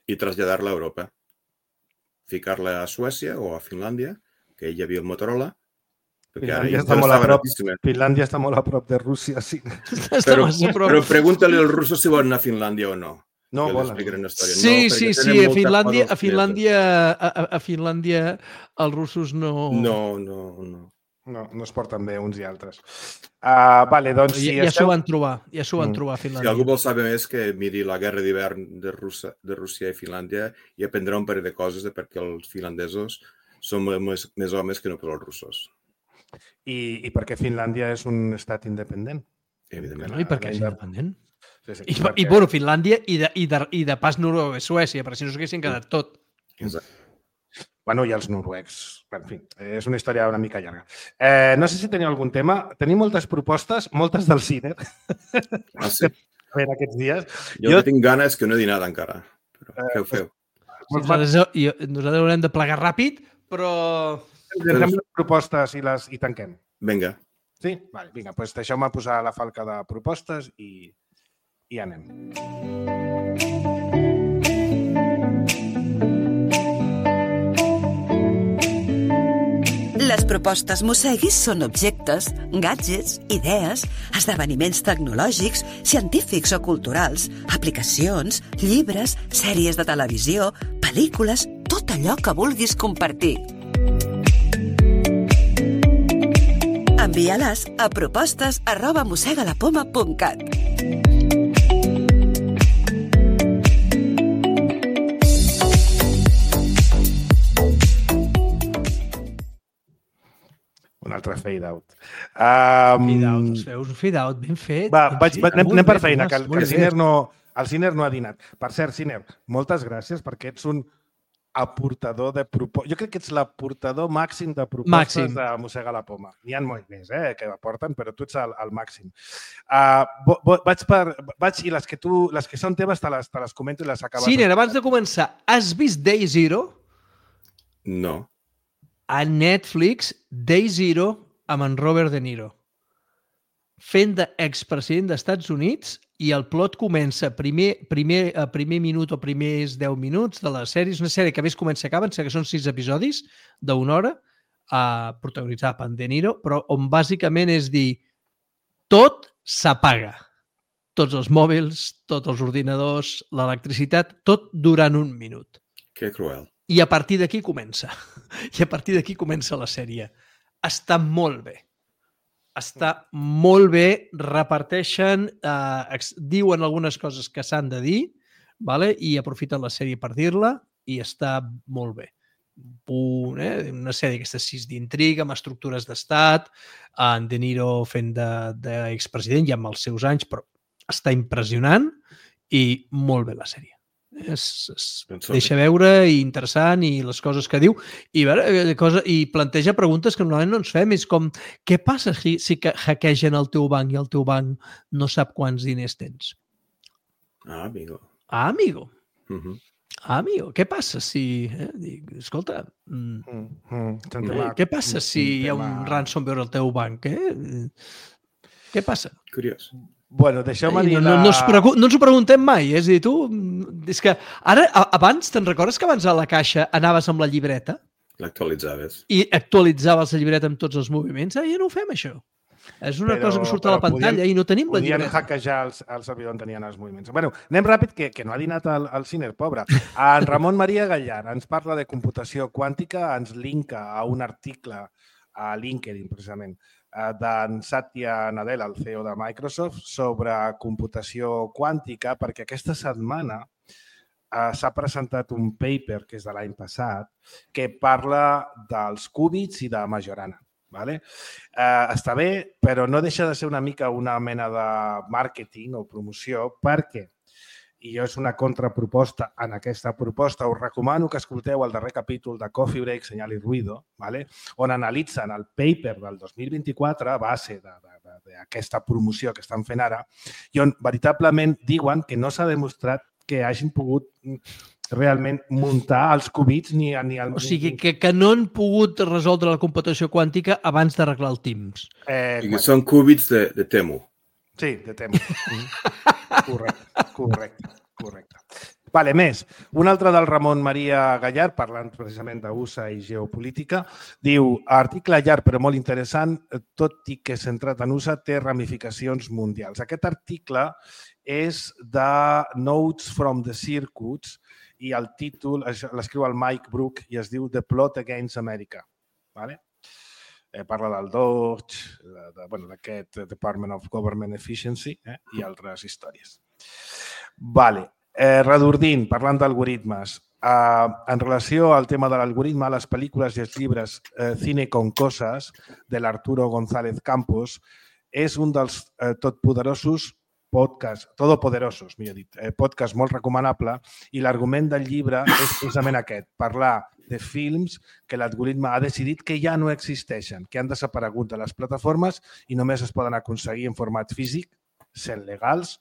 i traslladar-la a Europa. Ficar-la a Suècia o a Finlàndia, que hi havia el Motorola, perquè ara Finlàndia està, molt a estava prop, gratíssima. Finlàndia està molt a prop de Rússia, sí. Està Però, massa a prop. però pregunta-li als russos si volen anar a Finlàndia o no. No, Que volen. l'explicaré una història. Sí, no, sí, perquè sí, tenen a molta Finlàndia, por a als Finlàndia, a, a- a Finlàndia els russos no... No, no, no. No, no es porten bé uns i altres. Uh, vale, doncs si ja ja s'ho esteu... van trobar, ja s'ho van Mm. trobar a Si Finlàndia. algú vol saber més, que miri la guerra d'hivern de, Rússia, de Rússia i Finlàndia i aprendrà un parell de coses de perquè els finlandesos són més, més homes que no per els russos. I, I perquè Finlàndia és un estat independent. Evidentment. No, I per què és independent? Sí, sí, I, perquè- i bueno, Finlàndia i de, i de, i de pas Noruega i Suècia, perquè si no s'haguessin quedat tot. Exacte. Bueno, i els noruecs. En fi, és una història una mica llarga. Eh, no sé si teniu algun tema. Tenim moltes propostes, moltes del cine, Ah, sí. en aquests dies. Jo, Jo- jo... que tinc gana és que no he dinat encara. Però què ho feu? Nosaltres, jo, nosaltres haurem de plegar ràpid, però... Ens fem les propostes i, les, i tanquem. Vinga. Sí? Vale, vinga, doncs deixeu-me posar la falca de propostes i, i anem. Les propostes Mosseguis són objectes, gadgets, idees, esdeveniments tecnològics, científics o culturals, aplicacions, llibres, sèries de televisió, pel·lícules, tot allò que vulguis compartir. Envia-les a propostes arroba mossegalapoma punt cat. Un altre fade out. Um, Fade out, us veus? Un fade out ben fet. Va, ben vaig, fet. va, anem, Molt anem per bé, feina, Tomàs, que, el- que molt el, bé. Ciner no, el Ciner no ha dinat. Per cert, Ciner, moltes gràcies perquè ets un aportador de propostes. Jo crec que ets l'aportador màxim de propostes Màxim. de Mossega la Poma. N'hi ha molt més eh, que aporten, però tu ets el, el màxim. Uh, bo, bo, vaig per, vaig, I les que, tu, les que són teves te les, te les comento i les acabes. Ciner, abans de començar, has vist Day Zero? No. A Netflix, Day Zero amb en Robert De Niro. Fent d'expresident dels Estats Units i el plot comença primer, primer, a primer minut o primers deu minuts de la sèrie. És una sèrie que a més comença i acaba, que són sis episodis d'una hora, uh, protagonitzada per en De Niro, però on bàsicament és dir tot s'apaga. Tots els mòbils, tots els ordinadors, l'electricitat, tot durant un minut. Que cruel. I a partir d'aquí comença. I a partir d'aquí comença la sèrie. Està molt bé. Està molt bé. Reparteixen, eh, diuen algunes coses que s'han de dir, vale? I aprofiten la sèrie per dir-la i està molt bé. Punt, eh? Una sèrie aquesta sis d'intriga, amb estructures d'estat, en De Niro fent d'expresident ja amb els seus anys, però està impressionant i molt bé la sèrie. Es, es deixa veure i interessant i les coses que diu i, veure, cosa, i planteja preguntes que normalment no ens fem. És com, què passa si, si hackegen el teu banc i el teu banc no sap quants diners tens? Ah, amigo. Ah, amigo. Uh -huh. Ah, amigo. Què passa si... Eh, dic, escolta, mm, Mm, mm, eh, què passa si hi ha un ransomware al teu banc? Eh? Què passa? Curiós. Bueno, deixeu-me Eh, dir... no, no, la... no, es pregu- no ens ho preguntem mai. Eh? És a dir, tu... És que ara, a- abans, te'n recordes que abans a la caixa anaves amb la llibreta L'actualitzaves. i actualitzaves la llibreta amb tots els moviments? Ara ja no ho fem, això. És una Però- cosa que surt a la però pantalla podien- i no tenim la Podien llibreta. hackejar el, el servidor on tenien els moviments. Bueno, anem ràpid, que, que no ha dinat el, el Ciner, pobre. En Ramon Maria Gallar ens parla de computació quàntica, ens linka a un article a LinkedIn, precisament, d'en Satya Nadella, el C E O de Microsoft, sobre computació quàntica, perquè aquesta setmana eh, s'ha presentat un paper, que és de l'any passat, que parla dels qubits i de Majorana. Vale? Eh, està bé, però no deixa de ser una mica una mena de màrqueting o promoció, perquè, i jo és una contraproposta en aquesta proposta, us recomano que escolteu el darrer capítol de Coffee Break, Senyal i Ruido, vale? On analitzen el paper del dos mil vint-i-quatre a base d'aquesta promoció que estan fent ara i on veritablement diuen que no s'ha demostrat que hagin pogut realment muntar els qubits ni... ni el, O sigui, que, que no han pogut resoldre la computació quàntica abans d'arreglar el Teams. Eh, I que són qubits de, de Temu. Sí, de Temu. correcte, correcte, correcte. Vale, més. Un altre del Ramon Maria Gallard, parlant precisament d'U S A i geopolítica, diu, article llarg però molt interessant, tot i que centrat en U S A té ramificacions mundials. Aquest article és de Notes from the Circuits i el títol l'escriu el Mike Brook i es diu The Plot Against America. Vale? Eh, parla del D O G, de, de, bueno, d'aquest Department of Government Efficiency eh, i altres històries. Vale. Eh, redordint, parlant d'algoritmes, eh, en relació al tema de l'algoritme, les pel·lícules i els llibres eh, Cine con Cosas de l'Arturo González Campos és un dels eh, totpoderosos podcasts, todopoderosos, millor dit, eh, podcast molt recomanable i l'argument del llibre és precisament aquest, parlar de films que l'algoritme ha decidit que ja no existeixen, que han desaparegut de les plataformes i només es poden aconseguir en format físic, sent legals,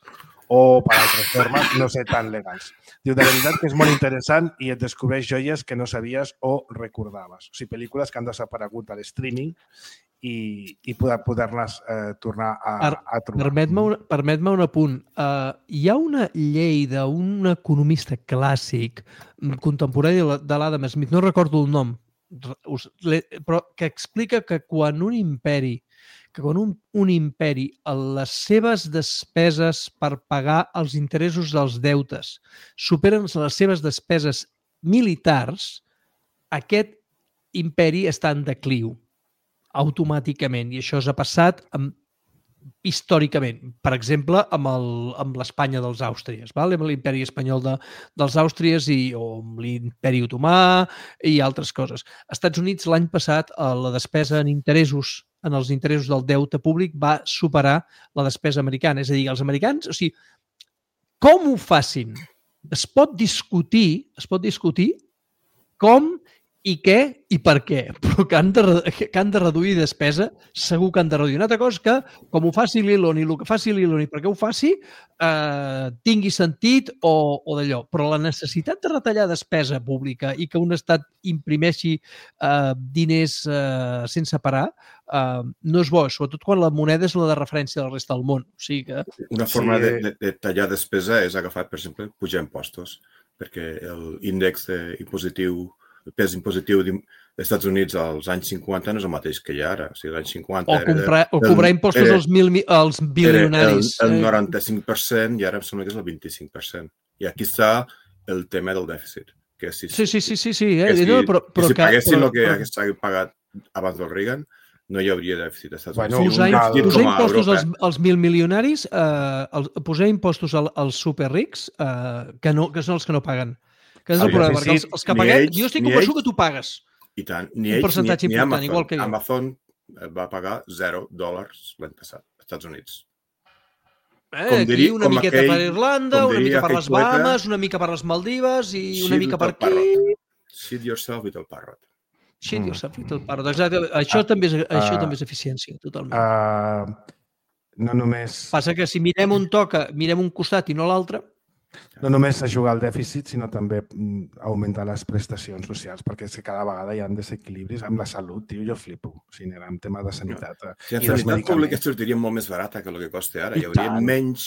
o per altres formes no ser tan legals. Diu, de veritat que és molt interessant i et descobreix joies que no sabies o recordaves. O sigui, pel·lícules que han desaparegut a l'streaming i, i poder, poder-les eh, tornar a, a trobar. Permet-me un, permet-me un apunt. Uh, hi ha una llei d'un economista clàssic contemporani de l'Adam Smith, no recordo el nom, però que explica que quan un imperi que quan un, un imperi les seves despeses per pagar els interessos dels deutes superen les seves despeses militars, aquest imperi està en decliu automàticament i això s'ha passat amb, històricament. Per exemple, amb l'Espanya dels Àustries, val? Amb l'imperi espanyol de, dels Àustries i, o amb l'imperi otomà i altres coses. Als Estats Units l'any passat la despesa en interessos en els interessos del deute públic va superar la despesa americana. És a dir, els americans, o sigui, com ho facin? Es pot discutir, es pot discutir com i què i per què, però que han de, que han de reduir despesa, segur que han de reduir. Una altra cosa que, com ho faci l'Elon i el que faci l'Elon i perquè ho faci, eh, tingui sentit o, o d'allò. Però la necessitat de retallar despesa pública i que un estat imprimeixi eh, diners eh, sense parar eh, no és bo, sobretot quan la moneda és la de referència de la resta del món. O sigui que... Una forma sí. de, de, de tallar despesa és agafar, per exemple, pujar impostos, perquè l'índex impositiu el pes impositiu dels Estats Units als anys cinquanta no és el mateix que hi ha ara. O sigui, als anys cinquanta... O, comprar, o cobrar impostos era, als, mil, als bilionaris. Era el, el noranta-cinc per cent i ara em sembla que és el vint-i-cinc per cent. I aquí està el tema del dèficit. Que si, sí, sí, sí, sí. sí eh? Que si, no, però, però, que si paguessin però, el que hagués però... pagat abans del Reagan, no hi hauria dèficit als Estats Units. Bueno, posar, posar impostos als, als mil milionaris, eh, el, posar impostos als, als superrics, eh, que, no, que són els que no paguen. Que és el, el problema, perquè els, els que paguem, ells, jo estic convençut que tu pagues. I tant, ni ells, un percentatge ni, ni important, Amazon. Igual que jo. Amazon va pagar zero dòlars l'any passat als Estats Units. Eh, com diria, aquí una miqueta aquell, per Irlanda, una mica per les Bahamas, poeta, una mica per les Maldives i una mica per aquí. Parrot. Shit yourself with el parrot. Shit mm. yourself with el parrot. Exacte. Això, uh, també és, això uh, també és eficiència, totalment. Uh, no només... Passa que si mirem un toca, mirem un costat i no l'altre, no només ajudar al dèficit, sinó també augmentar les prestacions socials, perquè és que cada vegada hi ha desequilibris amb la salut, tio, jo flipo. O sigui, en tema de sanitat. No. Si la sanitat pública sortiria molt més barata que el que costa ara. I hi hauria tant. menys...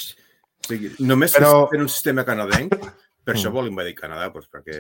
O sigui, només Però... per un sistema canadenc, per això vol invadir Canadà, doncs, perquè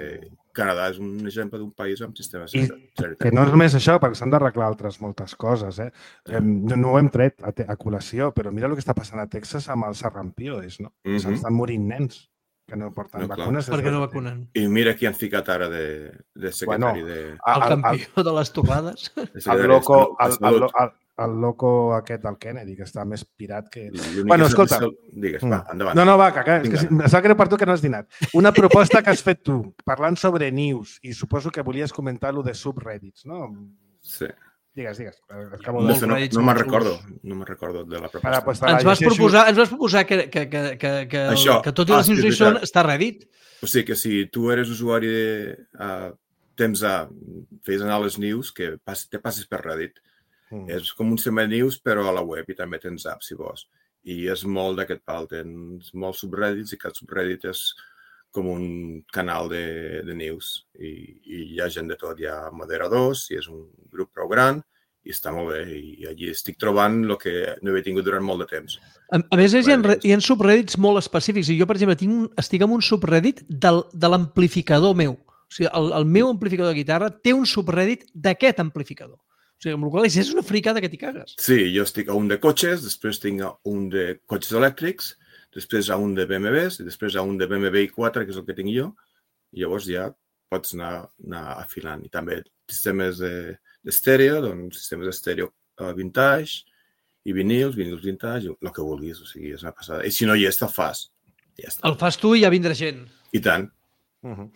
Canadà és un exemple d'un país amb sistema sanitari. Que no és només això, perquè s'han d'arreglar altres moltes coses. Eh? No, no ho hem tret a, a col·lació, però mira el que està passant a Texas amb el sarrampioes, no? Mm -hmm. S'estan morint nens que no porten no, vacunes. Perquè no vacunen. I mira qui han ficat ara de, de secretari bueno, de... El campió el, de les torrades. El loco, el, el, el, el loco aquest del Kennedy, que està més pirat que... Bueno, escolta... El... Digues, va, endavant. No, no, va, que, que, que em sap greu per tu que no has dinat. Una proposta que has fet tu, parlant sobre news, i suposo que volies comentar lo de subreddits, no? Sí. Digues, digues. Acabo de... No, no, no me'n recordo, no me'n recordo de la proposta. Ara, pues, ens, vas proposar, ens vas proposar que, que, que, que, que, Això, que tot i les news són està a Reddit. O sigui que si tu eres usuari de uh, temps a fes anar les news, que pas, te passes per Reddit. Mm. És com un sistema de news, però a la web, i també tens apps, si vols. I és molt d'aquest pal, tens molts subreddits i cada subreddit és com un canal de, de news. I, I hi ha gent de tot, hi ha moderadors, i és un grup prou gran, i està molt bé. I allí estic trobant el que no havia tingut durant molt de temps. A, a més, hi ha, hi ha subreddits molt específics. I jo, per exemple, tinc un, estic en un subreddit del, de l'amplificador meu. O sigui, el, el meu amplificador de guitarra té un subreddit d'aquest amplificador. O sigui, amb la qual cosa és una fricada que t'hi cagues. Sí, jo estic a un de cotxes, després tinc a un de cotxes elèctrics, després a un de B M Ws i després a un de B M W i quatre, que és el que tinc jo. I llavors ja pots anar, anar afilant. I també sistemes d'estèreo, doncs sistemes d'estèreo vintage i vinils, vinils vintage, el que vulguis. O sigui, és una passada. I si no hi és, te'l fas. Ja està. El fas tu i ja vindrà gent. I tant. Uh-huh.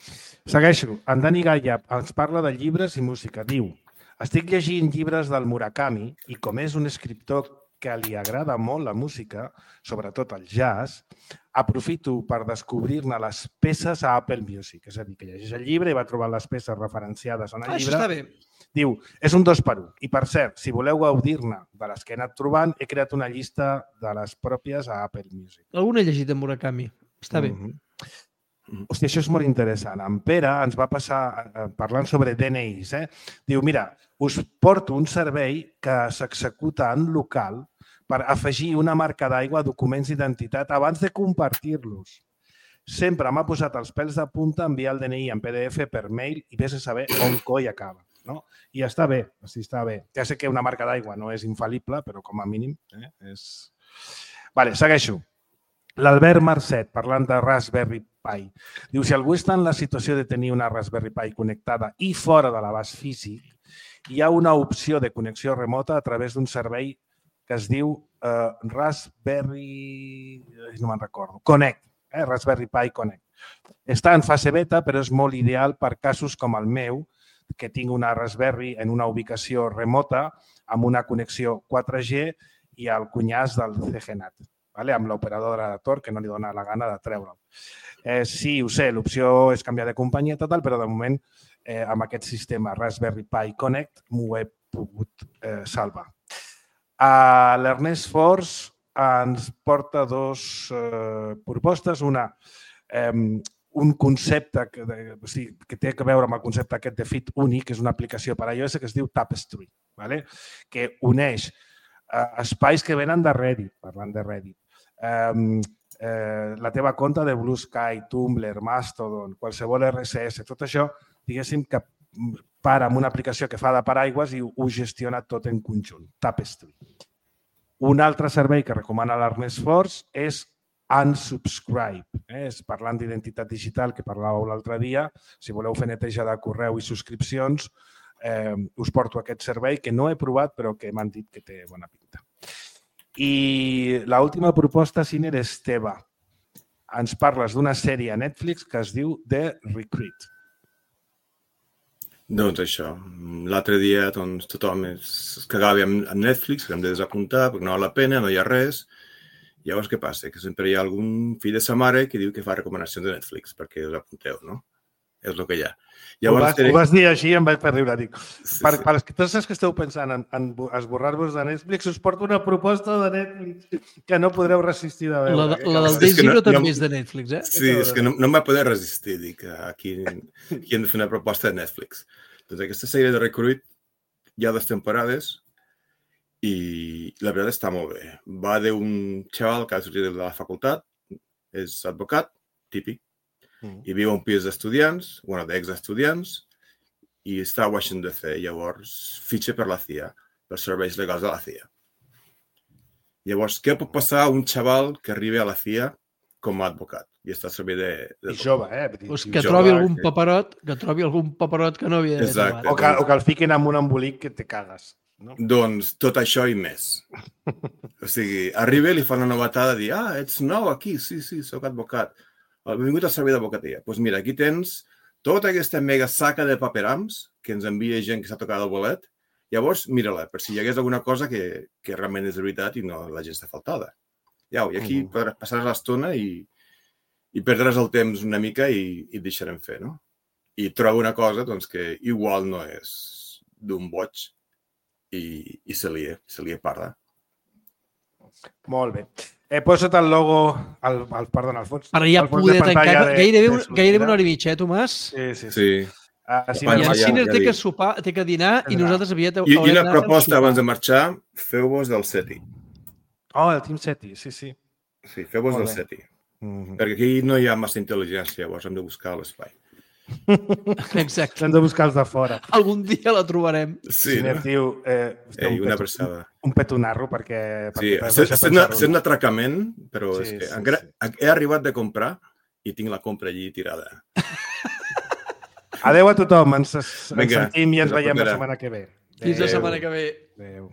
Segueixo. En Dani Gaia ens parla de llibres i música. Diu, estic llegint llibres del Murakami i com és un escriptor que li agrada molt la música, sobretot el jazz, aprofito per descobrir-ne les peces a Apple Music. És a dir, que llegeix el llibre i va trobar les peces referenciades en el ah, llibre. Això està bé. Diu, és un dos per un. I per cert, si voleu gaudir-ne de les que he anat trobant, he creat una llista de les pròpies a Apple Music. Algun he llegit de Murakami. Està bé. Mm-hmm. Hòstia, això és molt interessant. En Pere ens va passar parlant sobre D N Is. Eh? Diu, mira, us porto un servei que s'executa en local per afegir una marca d'aigua a documents d'identitat abans de compartir-los. Sempre m'ha posat els pèls de punta enviar el D N I en P D F per mail i vés a saber on coi acaba. No? I està bé, sí, està bé. Ja sé que una marca d'aigua no és infal·lible, però com a mínim eh, és... Vale, segueixo. L'Albert Marcet, parlant de Raspberry Pi, diu, si algú està en la situació de tenir una Raspberry Pi connectada i fora de l'abast físic, hi ha una opció de connexió remota a través d'un servei que es diu eh, Raspberry... no me'n recordo. Connect, eh? Raspberry Pi Connect. Està en fase beta, però és molt ideal per casos com el meu, que tinc una Raspberry en una ubicació remota amb una connexió quatre G i el cunyàs del C G NAT, vale? Amb l'operadora de Tor, que no li dona la gana de treure'l. Eh, sí, ho sé, l'opció és canviar de companyia total, però de moment eh, amb aquest sistema Raspberry Pi Connect m'ho he pogut eh, salvar. Uh, L'Ernest Force ens porta dues eh, propostes. Una, eh, un concepte que, de, o sigui, que té a veure amb el concepte aquest de Fit Unique, que és una aplicació per a iOS que es diu Tapestry, vale? Que uneix eh, espais que venen de Reddit, parlant de Reddit, eh, eh, la teva compte de Blue Sky, Tumblr, Mastodon, qualsevol R S S, tot això, diguéssim que para amb una aplicació que fa de paraigües i ho gestiona tot en conjunt, Tapestry. Un altre servei que recomana l'Ernest Force és Unsubscribe. Eh? És parlant d'identitat digital que parlàveu l'altre dia. Si voleu fer neteja de correu i subscripcions, eh, us porto aquest servei que no he provat però que m'han dit que té bona pinta. I l'última proposta, Siner, és teva. Ens parles d'una sèrie a Netflix que es diu The Recruit. Doncs això, l'altre dia doncs, tothom es cagava amb Netflix, que hem de desapuntar perquè no val la pena, no hi ha res. Llavors, què passa? Que sempre hi ha algun fill de sa mare que diu que fa recomanacions de Netflix perquè us apunteu, no? És el que hi ha. Llavors, ho, vas, diré... ho vas dir així i em vaig per riure. Dic, sí, per, sí. Per tots els que esteu pensant en, en esborrar-vos de Netflix, us porto una proposta de Netflix que no podreu resistir de veure. La, la del Day Zero no, també no, és de Netflix, eh? Sí, és que no, no em va poder resistir. Dic, aquí, aquí hem de fer una proposta de Netflix. Doncs aquesta sèrie de Recruit hi ha dues temporades i la veritat està molt bé. Va d'un xaval que ha sortit de la facultat, és advocat, típic, mm. i viu a un pis d'estudiants, bueno, d'ex-estudiants, i està a Washington D C. Llavors, fitxa per la C I A, per serveis legals de la C I A. Llavors, què pot passar a un xaval que arribi a la C I A com a advocat? I està a servei de... de... I jove, eh? Pues que jove, trobi algun que... paperot, que trobi algun paperot que no havia de trobar. O que, o que el fiquin amb un embolic que te cagues. No? Doncs tot això i més. O sigui, arriba i li fa una novetada de dir, ah, ets nou aquí, sí, sí, soc advocat. Benvingut al servei d'advocatia. Doncs pues mira, aquí tens tota aquesta mega saca de paperams que ens envia gent que s'ha tocat el bolet. Llavors, mira-la, per si hi hagués alguna cosa que, que realment és de veritat i no la gent està faltada. Iau, i aquí mm. passaràs l'estona i, i perdràs el temps una mica i, i et deixarem fer, no? I trobo una cosa doncs, que igual no és d'un boig, i, i se li, se li parla. Molt bé. He posat el logo, el, el, perdona, el fons. Per ja poder tancar, de, gairebé, de gairebé una hora i mitja, eh, Tomàs? Sí, sí, sí. sí. Uh, si I el ja- Sinner ja té que dic. sopar, té que dinar i nosaltres aviat I, i haurem una d'anar a proposta sopar. abans de marxar, feu-vos del SETI. Oh, el Team Seti, sí, sí. Sí, feu-vos Molt del bé. SETI. Mm-hmm. Perquè aquí no hi ha massa intel·ligència, llavors hem de buscar l'espai. Exacte. Hem de buscar els de fora. Algun dia la trobarem. Sí, Sinner, no? tio, eh, Ei, un una peto- abraçada. Un petonarro perquè... Sí, perquè t'has sent, deixat sent, una, pensar-ho. sent un atracament, però Sí, és que sí, encara, sí. he arribat de comprar i tinc la compra allí tirada. Adéu a tothom, ens, ens Vinga, sentim i ens fins la veiem la propera. setmana que ve. Fins la Adéu. setmana que ve. Adéu.